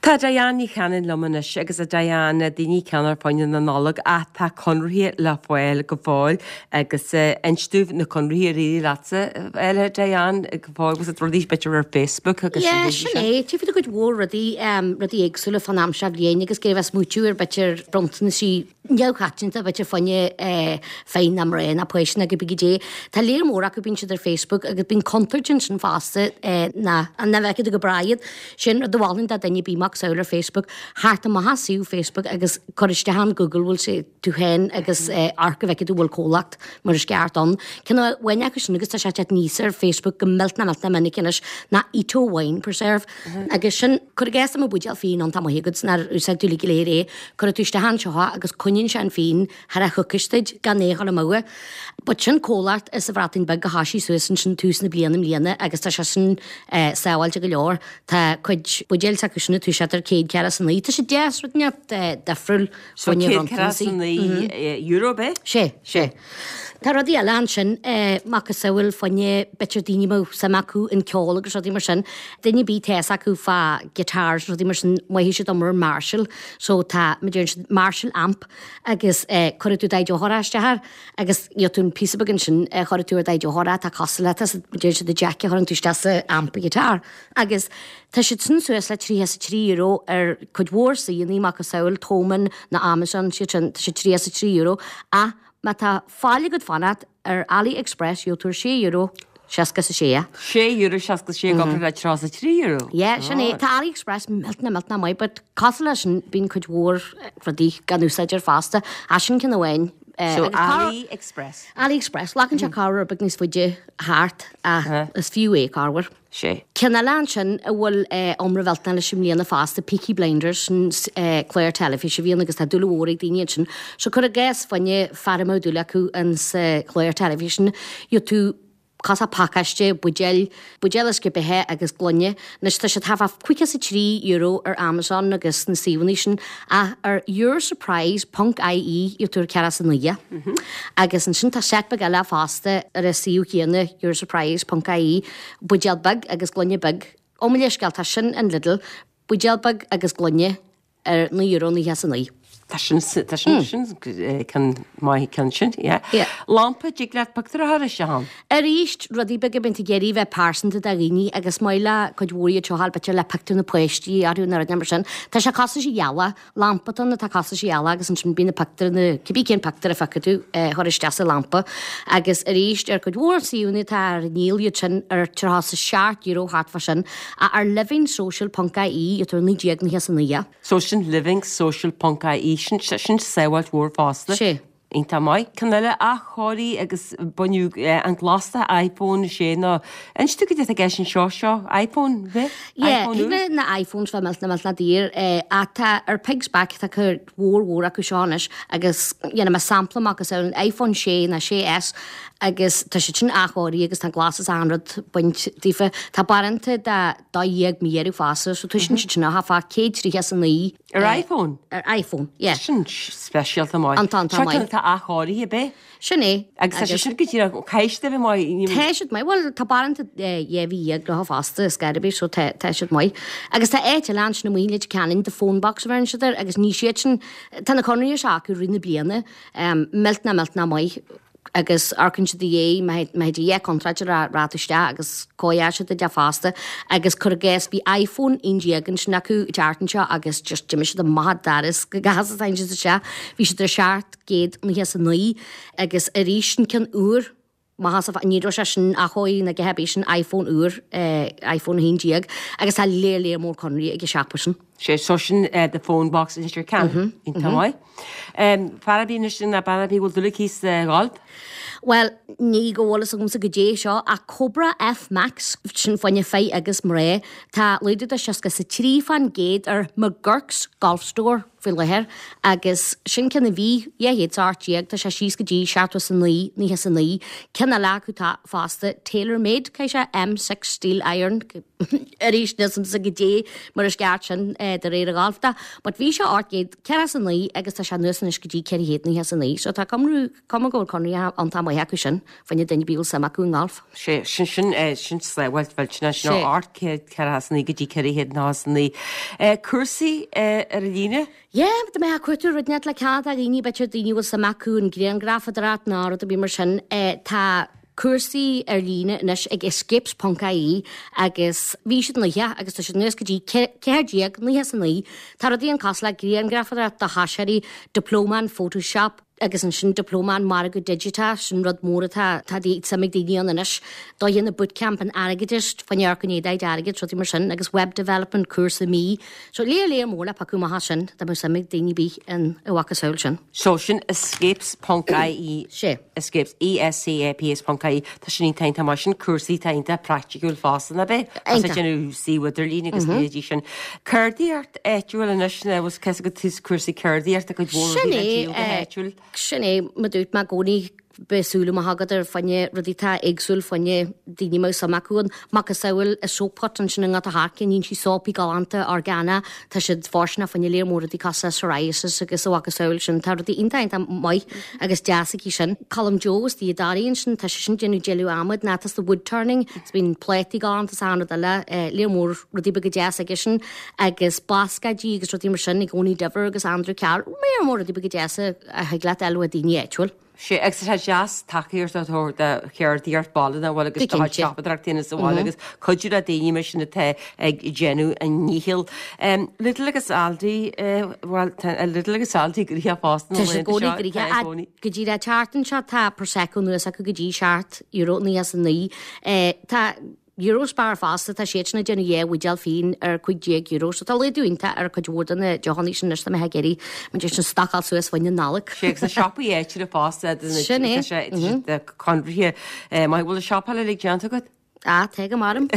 Tá Diane Ní Chanainn liom anois agus a Diane daoine ag ceannach fá choinne na Nollag ach tá conarthaí le fáil go fóill agus inis dúinn na conarthaí ar éirigh leatsa a Diane go fóill agus rudaí b'fhéidir ar Facebook agus Yeah, sin é, tchífidh tú cuid mhór rudaí, rudaí éagsúla fán am seo bhliain agus ag iarraidh smaoitiú ar b'fhéidir bronntanasí neamhchoitianta b'fhéidir fá choinne fir ná mná ná páistí ná cibé goidé. Tá léar mór acu bíonn siad ar Facebook agus bíonn contúirt ansin fosta ná nach bhfeicfidh tú go breá iad. Sin rud a mholfainn do dhuine ar bith macasamhail ar Facebook, theacht amach as suíomh Facebook agus cur isteach an Google bhfuil sé tú féin agus amharc go bhfeicfidh tú bhfuil comhlacht mar is ceart ann. Ceann amháin acu sin agus tá sé ag teacht aníos ar Facebook go millteanach millteanach minic anois ná Ito Wine Preserve agus sin cuir i gcás tá buidéal fíon iontach maith agat nár úsáid tú uilig go léir é, cuirfidh tú isteach anseo agus coinníonn coinníonn sé an fíon thar a choicís duit gan é a dhul amú. But sin comhlacht as an Bhreatain Bheag a thoisigh suas ansin tús na bliana i mbliana agus tá sé sin sábháilte go leor. Tá cuid buidéil s'acu sin ag toiseacht ar céad ceathracha is a naoi. Tá sé deas, rud inteacht difriúil So fá choinne céad ceathracha is a bronntanas. naoi euro ab é? Sé, sé. Tá rudaí eile ansin, macasamhail fá choinne b'fhéidir daoine a mbeadh suim acu in ceol agus rudaí mar sin. Duine ar bith tá fhios acu fá guitars rudaí mar sin, maífidh siad iomrá ar Marshall. So tá, mar deireann siad, Marshall amp agus cuirfidh tú d'fheitheoir isteach air agus gheobhaidh tú an píosa beag ansin a chuirfidh tú ar d'fheitheoir atá cosúil le, tá mar deireann siad, the jack a chuireann tú isteach sa amp guitar. Agus tá siad sin suas le tríocha is a trí euro ar cuid mhór suíomhanna, macasamhail Thomann nó Amazon, siad sin, tá siad tríocha is a trí euro. Ach má tá faill agat fanacht ar AliExpress gheobhaidh tú ar sé euro seasca is a sé. Sé euro seasca is sé i gcomparáid le tríocha is a trí euro. Yeah, sin é. Tá AliExpress millteanach millteanach maith but cosúil leis sin bíonn cuid mhór rudaí gan úsáid air fosta. Ach sin ceann amháin. So AliExpress. AliExpress. Glacann sé corruair beag níos faide thart ach is fiú é corruair. Sé. Ceann eile ansin a bhfuil iomrá mhillteanach leis i mbliana fosta, Peaky Blinders, sin clár teilifíse a bhíonn agus tá dúil mhór ag daoine ansin. So cuir i gcás fá choinne fear a mbeadh dúil acu insa chlár teilifíse sin, gheobhaidh tú cosúil pacáiste, buidéil, buidéal uisce beatha agus gloine. Anois tá siad thart fá caoga is a trí euro ar Amazon agus na suíomhanna sin ach ar yoursurprise ponc ie gheobhaidh tú ar ceathracha is a naoi. Agus ansin tá seit beag eile fosta ar an suíomh céanna yoursurprise ponc ie, buidéal beag agus gloine beag. Ó mo leithscéal, tá sin in Lidl, buidéal beag agus gloine ar naoi euro naocha is a naoi. Tá sin, tá sin, sin ceann maith ceann sin, yeah. Yeah. Lampa, dtig leat pictiúr a chur isteach ann. Arís, rudaí beaga bíonn tú ag iarraidh bheith pearsanta do dhaoine agus maith le cuid mhór iad seo a fháil b'fhéidir le pictiúr na páistí orthu nó rudaí mar sin. Tá sé cosúil leis an ghealach, lampa atá ann atá cosúil leis an ghealach agus ansin bíonn na pictiúir na, cibé cén pictiúr a phiocfaidh tú a chur isteach sa lampa. Agus arís, ar cuid mhór suíomhanna atá ar ndíol iad sin ar tríocha is a seacht euro thart fá sin, ach ar livingsocial ponc ie gheobhaidh tú ar naoi déag naocha is a naoi. So sin livingsocial ponc ie, sin sin sábháilt mhór fosta. Sé. Iontach maith. Ceann eile, athchóiriú agus baineadh an glas de iPhone sé nó inis tú cad é atá i gceist anseo seo, iPhone, bheith? Yeah, iPhone úr? thig le na iPhones bheith millteanach millteanach daor ach tá ar Pigs Back tá cuid mhór mhór acu seo anois agus dhéanfaidh mé sampla amach as an iPhone sé nó sé S agus tá siad sin athchóirithe agus tá an glas is achan rud bainte daofa. Tá baránta de dó dhéag mí orthu fosta so toisíonn siad sin thart fá céad tríocha is a naoi. Ar iPhone? Ar iPhone, yeah. Sin speisialta maith. An t-an Seo maith. ceann atá athchóirithe, ab é? Sin é. Agus tá sé sin go díreach, caithfidh siad a bheith maith. ní- Tá siad maith, bhuel tá baránta dhá mhí dhéag leo fosta is gar ar bith so tá tá siad maith. Agus tá áit eile ansin amuigh i Leitir Ceanainn, The Phone Box a bheireann siad air agus ní siad sin, tá na conraí seo acu rith na bliana, millteanach millteanach maith agus amharcann siad i dhiaidh má má théid a dhath contráilte a rá isteach agus cóireáil siad iad fosta agus cuir i gcás bhí iPhone aon déag ansin acu an tseachtain seo agus just d'imigh siad amach an doras go gasta tháinig siad isteach bhí siad ar seacht gcéad naocha is a naoi agus arís an ceann úr maith as ní raibh sé sin athchóirithe ná a dhath ar bith sin iPhone úr iPhone a haon déag agus tá léar léar mór conraí ag an siopa sin. Sé so sin The Phone Box in Leitir Ceanainn. Iontach maith. Fear ar bith anois nó bean ar bith a bhfuil dúil aici sa gholf? Bhuel, ní go bhfuil fhios agamsa goidé seo ach Cobra F Max, sin fá choinne fir agus mná. Tá laghdú de seasca is a trí fán gcéad ar McGurk's Golf Store faoi láthair agus sin ceann a bhí dhá chéad is a hocht déag, tá sé síos go dtí seachtó is a naoi, naocha is a naoi. Ceann eile acu tá fosta, Taylor Made, caithfidh sé M six Steel Iron, arís níl fhios a'msa goidé mar is ceart sin de réir a gholf de, but bhí sé ocht gcéad ceathracha is a naoi agus tá sé anuas anois go dtí ceithre chéad naocha is a naoi, so tá cumrú, cuma go bhfuil conraí iontach maith acu sin, fá choinne duine ar bith a bhfuil suim acu i ngolf. Sé, sin, sin, sin sábháilt mhillteanach, sin Sé. ocht gcéad ceathracha is a naoi go dtí ceithre chéad naocha is a naoi. Cúrsaí ar an líne? Yeah, dá mbeifeá ag cuartú rud inteacht le cead a dhaoine, b'fhéidir daoine a bhfuil suim acu in grianghrafadóireacht nó rud ar bith mar sin, tá cúrsaí ar líne anois ag escapes ponc ie agus bhí siad naocha agus tá siad anuas go dtí ceathair déag naocha is a naoi. Tá rudaí ann cosúil le grianghrafadóireacht do thosaitheoirí, Diploma in Photoshop, Agus ansin Diplóma an Margadh Digiteach, sin rud mór atá tá suim ag daoine ann anois. Do dhéanamh bootcamp in airgeadas, fá choinne amharc in éadaigh d'airgead, rudaí mar sin, agus web development, cúrsa mí. So léar léar mór le piocadh amach as sin, dá mbeadh suim ag daoine ar bith in a mhacasamhail sin. So sin escapes ponc ie. Sé. Escapes, E S C A P E S ponc ie. Tá sin iontach iontach maith sin cúrsaí tá iontach praiticiúil fosta nach ea? As Iontach. déanamh suíomh idirlín agus leithéidí sin. Ceardaíocht áitiúil anois, na bhfuil cos go tús cúrsaí ceardaíochta cuid mhór Sin rudaí le é, díol go eh, háitiúil. Sin é mar dúirt mé i gcónaí beidh súil amach agat ar fá choinne rudaí atá éagsúil fá choinne daoine mbeadh suim acu ann. Macasamhail a Soap Hut ansin i nGort a' Choirce, níonn sí sópaí galánta orgánach, tá siad fóirsteanach fá choinne léar mór rudaí cosúil le psoriasis agus a mhacasamhail sin, tá rudaí iontach iontach maith agus deas aici sin. Colm Joe is í Darí ansin, tá sé sin déanamh dealbh adhmaid, ná tá the wood turning, is bíonn plátaí galánta is achan rud eile, eh, léar mór rudaí beaga deas aige sin, agus bascáidí agus rudaí mar sin i gcónaí Diver agus Andrew Carr, léar mór rudaí beaga deasa a thig leat fháil ó daoine áitiúil. Sé agus tá deas tacaíocht a thabhairt do cheardaíocht baile na bhfuil agus Go do cinnte. siopadóireacht féin sa bhaile agus cuidiú le daoine mar sin atá ag déanamh a ndícheall. Um, Lidl agus Aldi, eh, well, tá Lidl agus Aldi gnoitheach fosta na Tá sé laethanta gcónaí seo, gnoitheach. tá i A- gcónaí. Go dtí le teartan seo tá Prosecco anuas acu go dtí seacht euro naoi as a naoi. Eh, Tá Eurospar fosta tá siad sin ag déanamh dhá bhuidéal fíon ar cúig déag euro, so tá laghdú iontach ar cuid mhór de na deochanna sin anois tá mé ag iarraidh mar sin stocáil suas fá choinne Nollag. Sé agus na siopaí áitiúla fosta Sin é. sé conraithe maith bhfuil a siopáil le déanta agat? Á tá go maram.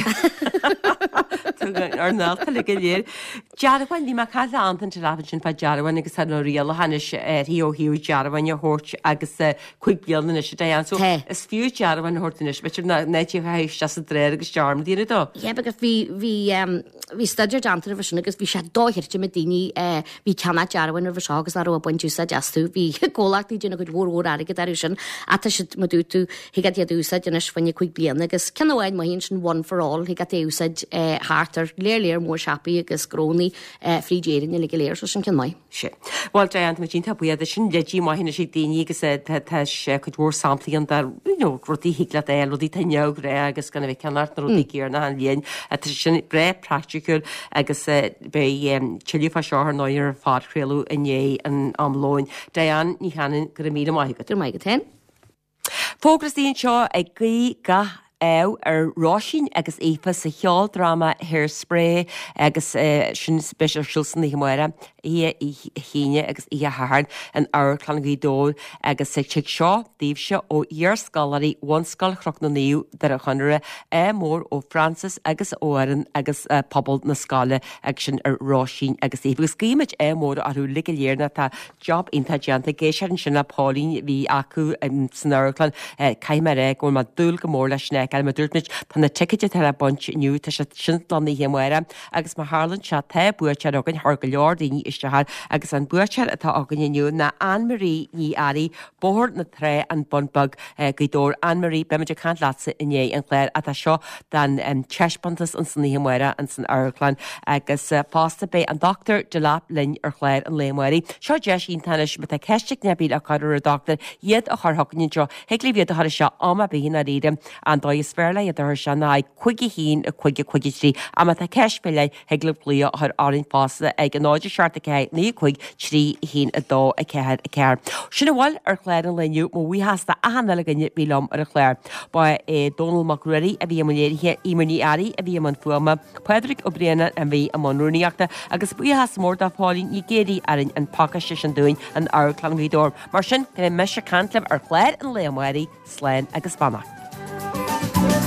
Ar nálta le go léir. Dearbháin bhí mé caint le Antain lean sin fá dearbháin agus tá na rialacha anois ar ó thaobh dearbháin a thabhairt agus cúig bliana anois a dhéan. So Tá. is fiú dearbháin a thabhairt anois, b'fhéidir na nétíocha sa dréir agus dearmad déanamh dó. Yeah, because bhí bhí um, bhí staidéar déanta roimhe sin agus bhí sé dochreidte na daoine uh, bhí ceannach dearbháin roimhe seo agus nach raibh ag baint úsáid astu. Bhí comhlachtaí déanamh cuid mhór mhór airgead orthu sin ata siad mar dúirt tú thig leat iad a úsáid anois fá choinne cúig bliana agus ceann amháin maith sin one for all thig leat é úsáid uh, thart ar léir léir mór siopaí agus gnónna uh, fríd Éirinn le go léir so sin ceann maith. Sé. Well Diane tá iontach buíoch sin leidí maith sé daoine agus eh, tá tá sé cuid mhór samplaí an dar you know, rudaí thig leat é rudaí tá ré agus gan a bheith ceannach na rudaí céanna an líon tá sin breá praiticiúil agus eh, beidh tuilleadh fá seo ar ndóigh ar phodchraoladh inné an am lóin. Diane Ní Chanainn go raibh míle maith agat. Gur maith agat féin. Fógra anseo ag guí gach ádh ar Róisín agus Aoife sa cheoldráma Hairspray agus uh, sin beidh ar siúl san oíche amárach oíche Aoine agus oíche Shathairn in Amharclann Ghaoth Dobhair agus sa tigh seo daoibhse ó iarscoláirí Bhunscoil Chnoc na Naomh Doire Chonaire ádh mór ó Francis agus ó Aaron agus uh, pobal na scoile agus sin ar Róisín agus Aoife. Agus guímid ádh mór orthu le go léir na tá job iontach déanta géis sin le Pauline bhí acu um, san amharclann uh, caithfidh mé go bhfuil dúil go mór leis na me dúirt tá na ticéid le baint inniu tá sé sin lan oíche amárach agus mar tharlaíonn sé tá buaiteoir againn thar go leor daoine isteach agus an buaiteoir atá againn inniu ná Anne-Marie Ní Airí Bóthar na Trá an Bun Beag Gaoth Dobhair Anne-Marie beimid ag caint leatsa i ndiaidh an chláir atá seo den um, taispeántas an san oíche amárach an san amharclann agus uh, fosta beidh an Doctor Delap linn ar chlár an lae amárach. Seo deis iontach má tá ceist ar bith le cur ar an doctor iad a chur chugainn seo thig libh iad a chur seo am ar bith ar éire an dóigh is fearr le iad a chur se ná cúig a haon a cúig a cúig a trí a má tá ceist faoi leith thig libh glaoch a chur orainn fosta ag an náid seacht a ceathair naoi cúig trí haon a dó a ceathair a ceathair. Sin a bhfuil ar chlár an lae inniu mo bhuíochas d'achan uile dhuine bhí liom ar an chlár. Ba é Dónal Mac Ruairí a bhí i mbun léirithe Eimear Ní Fhearraigh a bhí i mbun fuaime, Pádraig Ó Braonáin a bhí i mbun rúnaíochta agus buíochas mór do Pauline Ní Ghéirí a rinne an pacáiste sin dúinn in Amharclann Ghaoth Dobhair. Mar sin go mbeidh mise ag caint libh ar chlár an lae amárach, slán agus beannacht.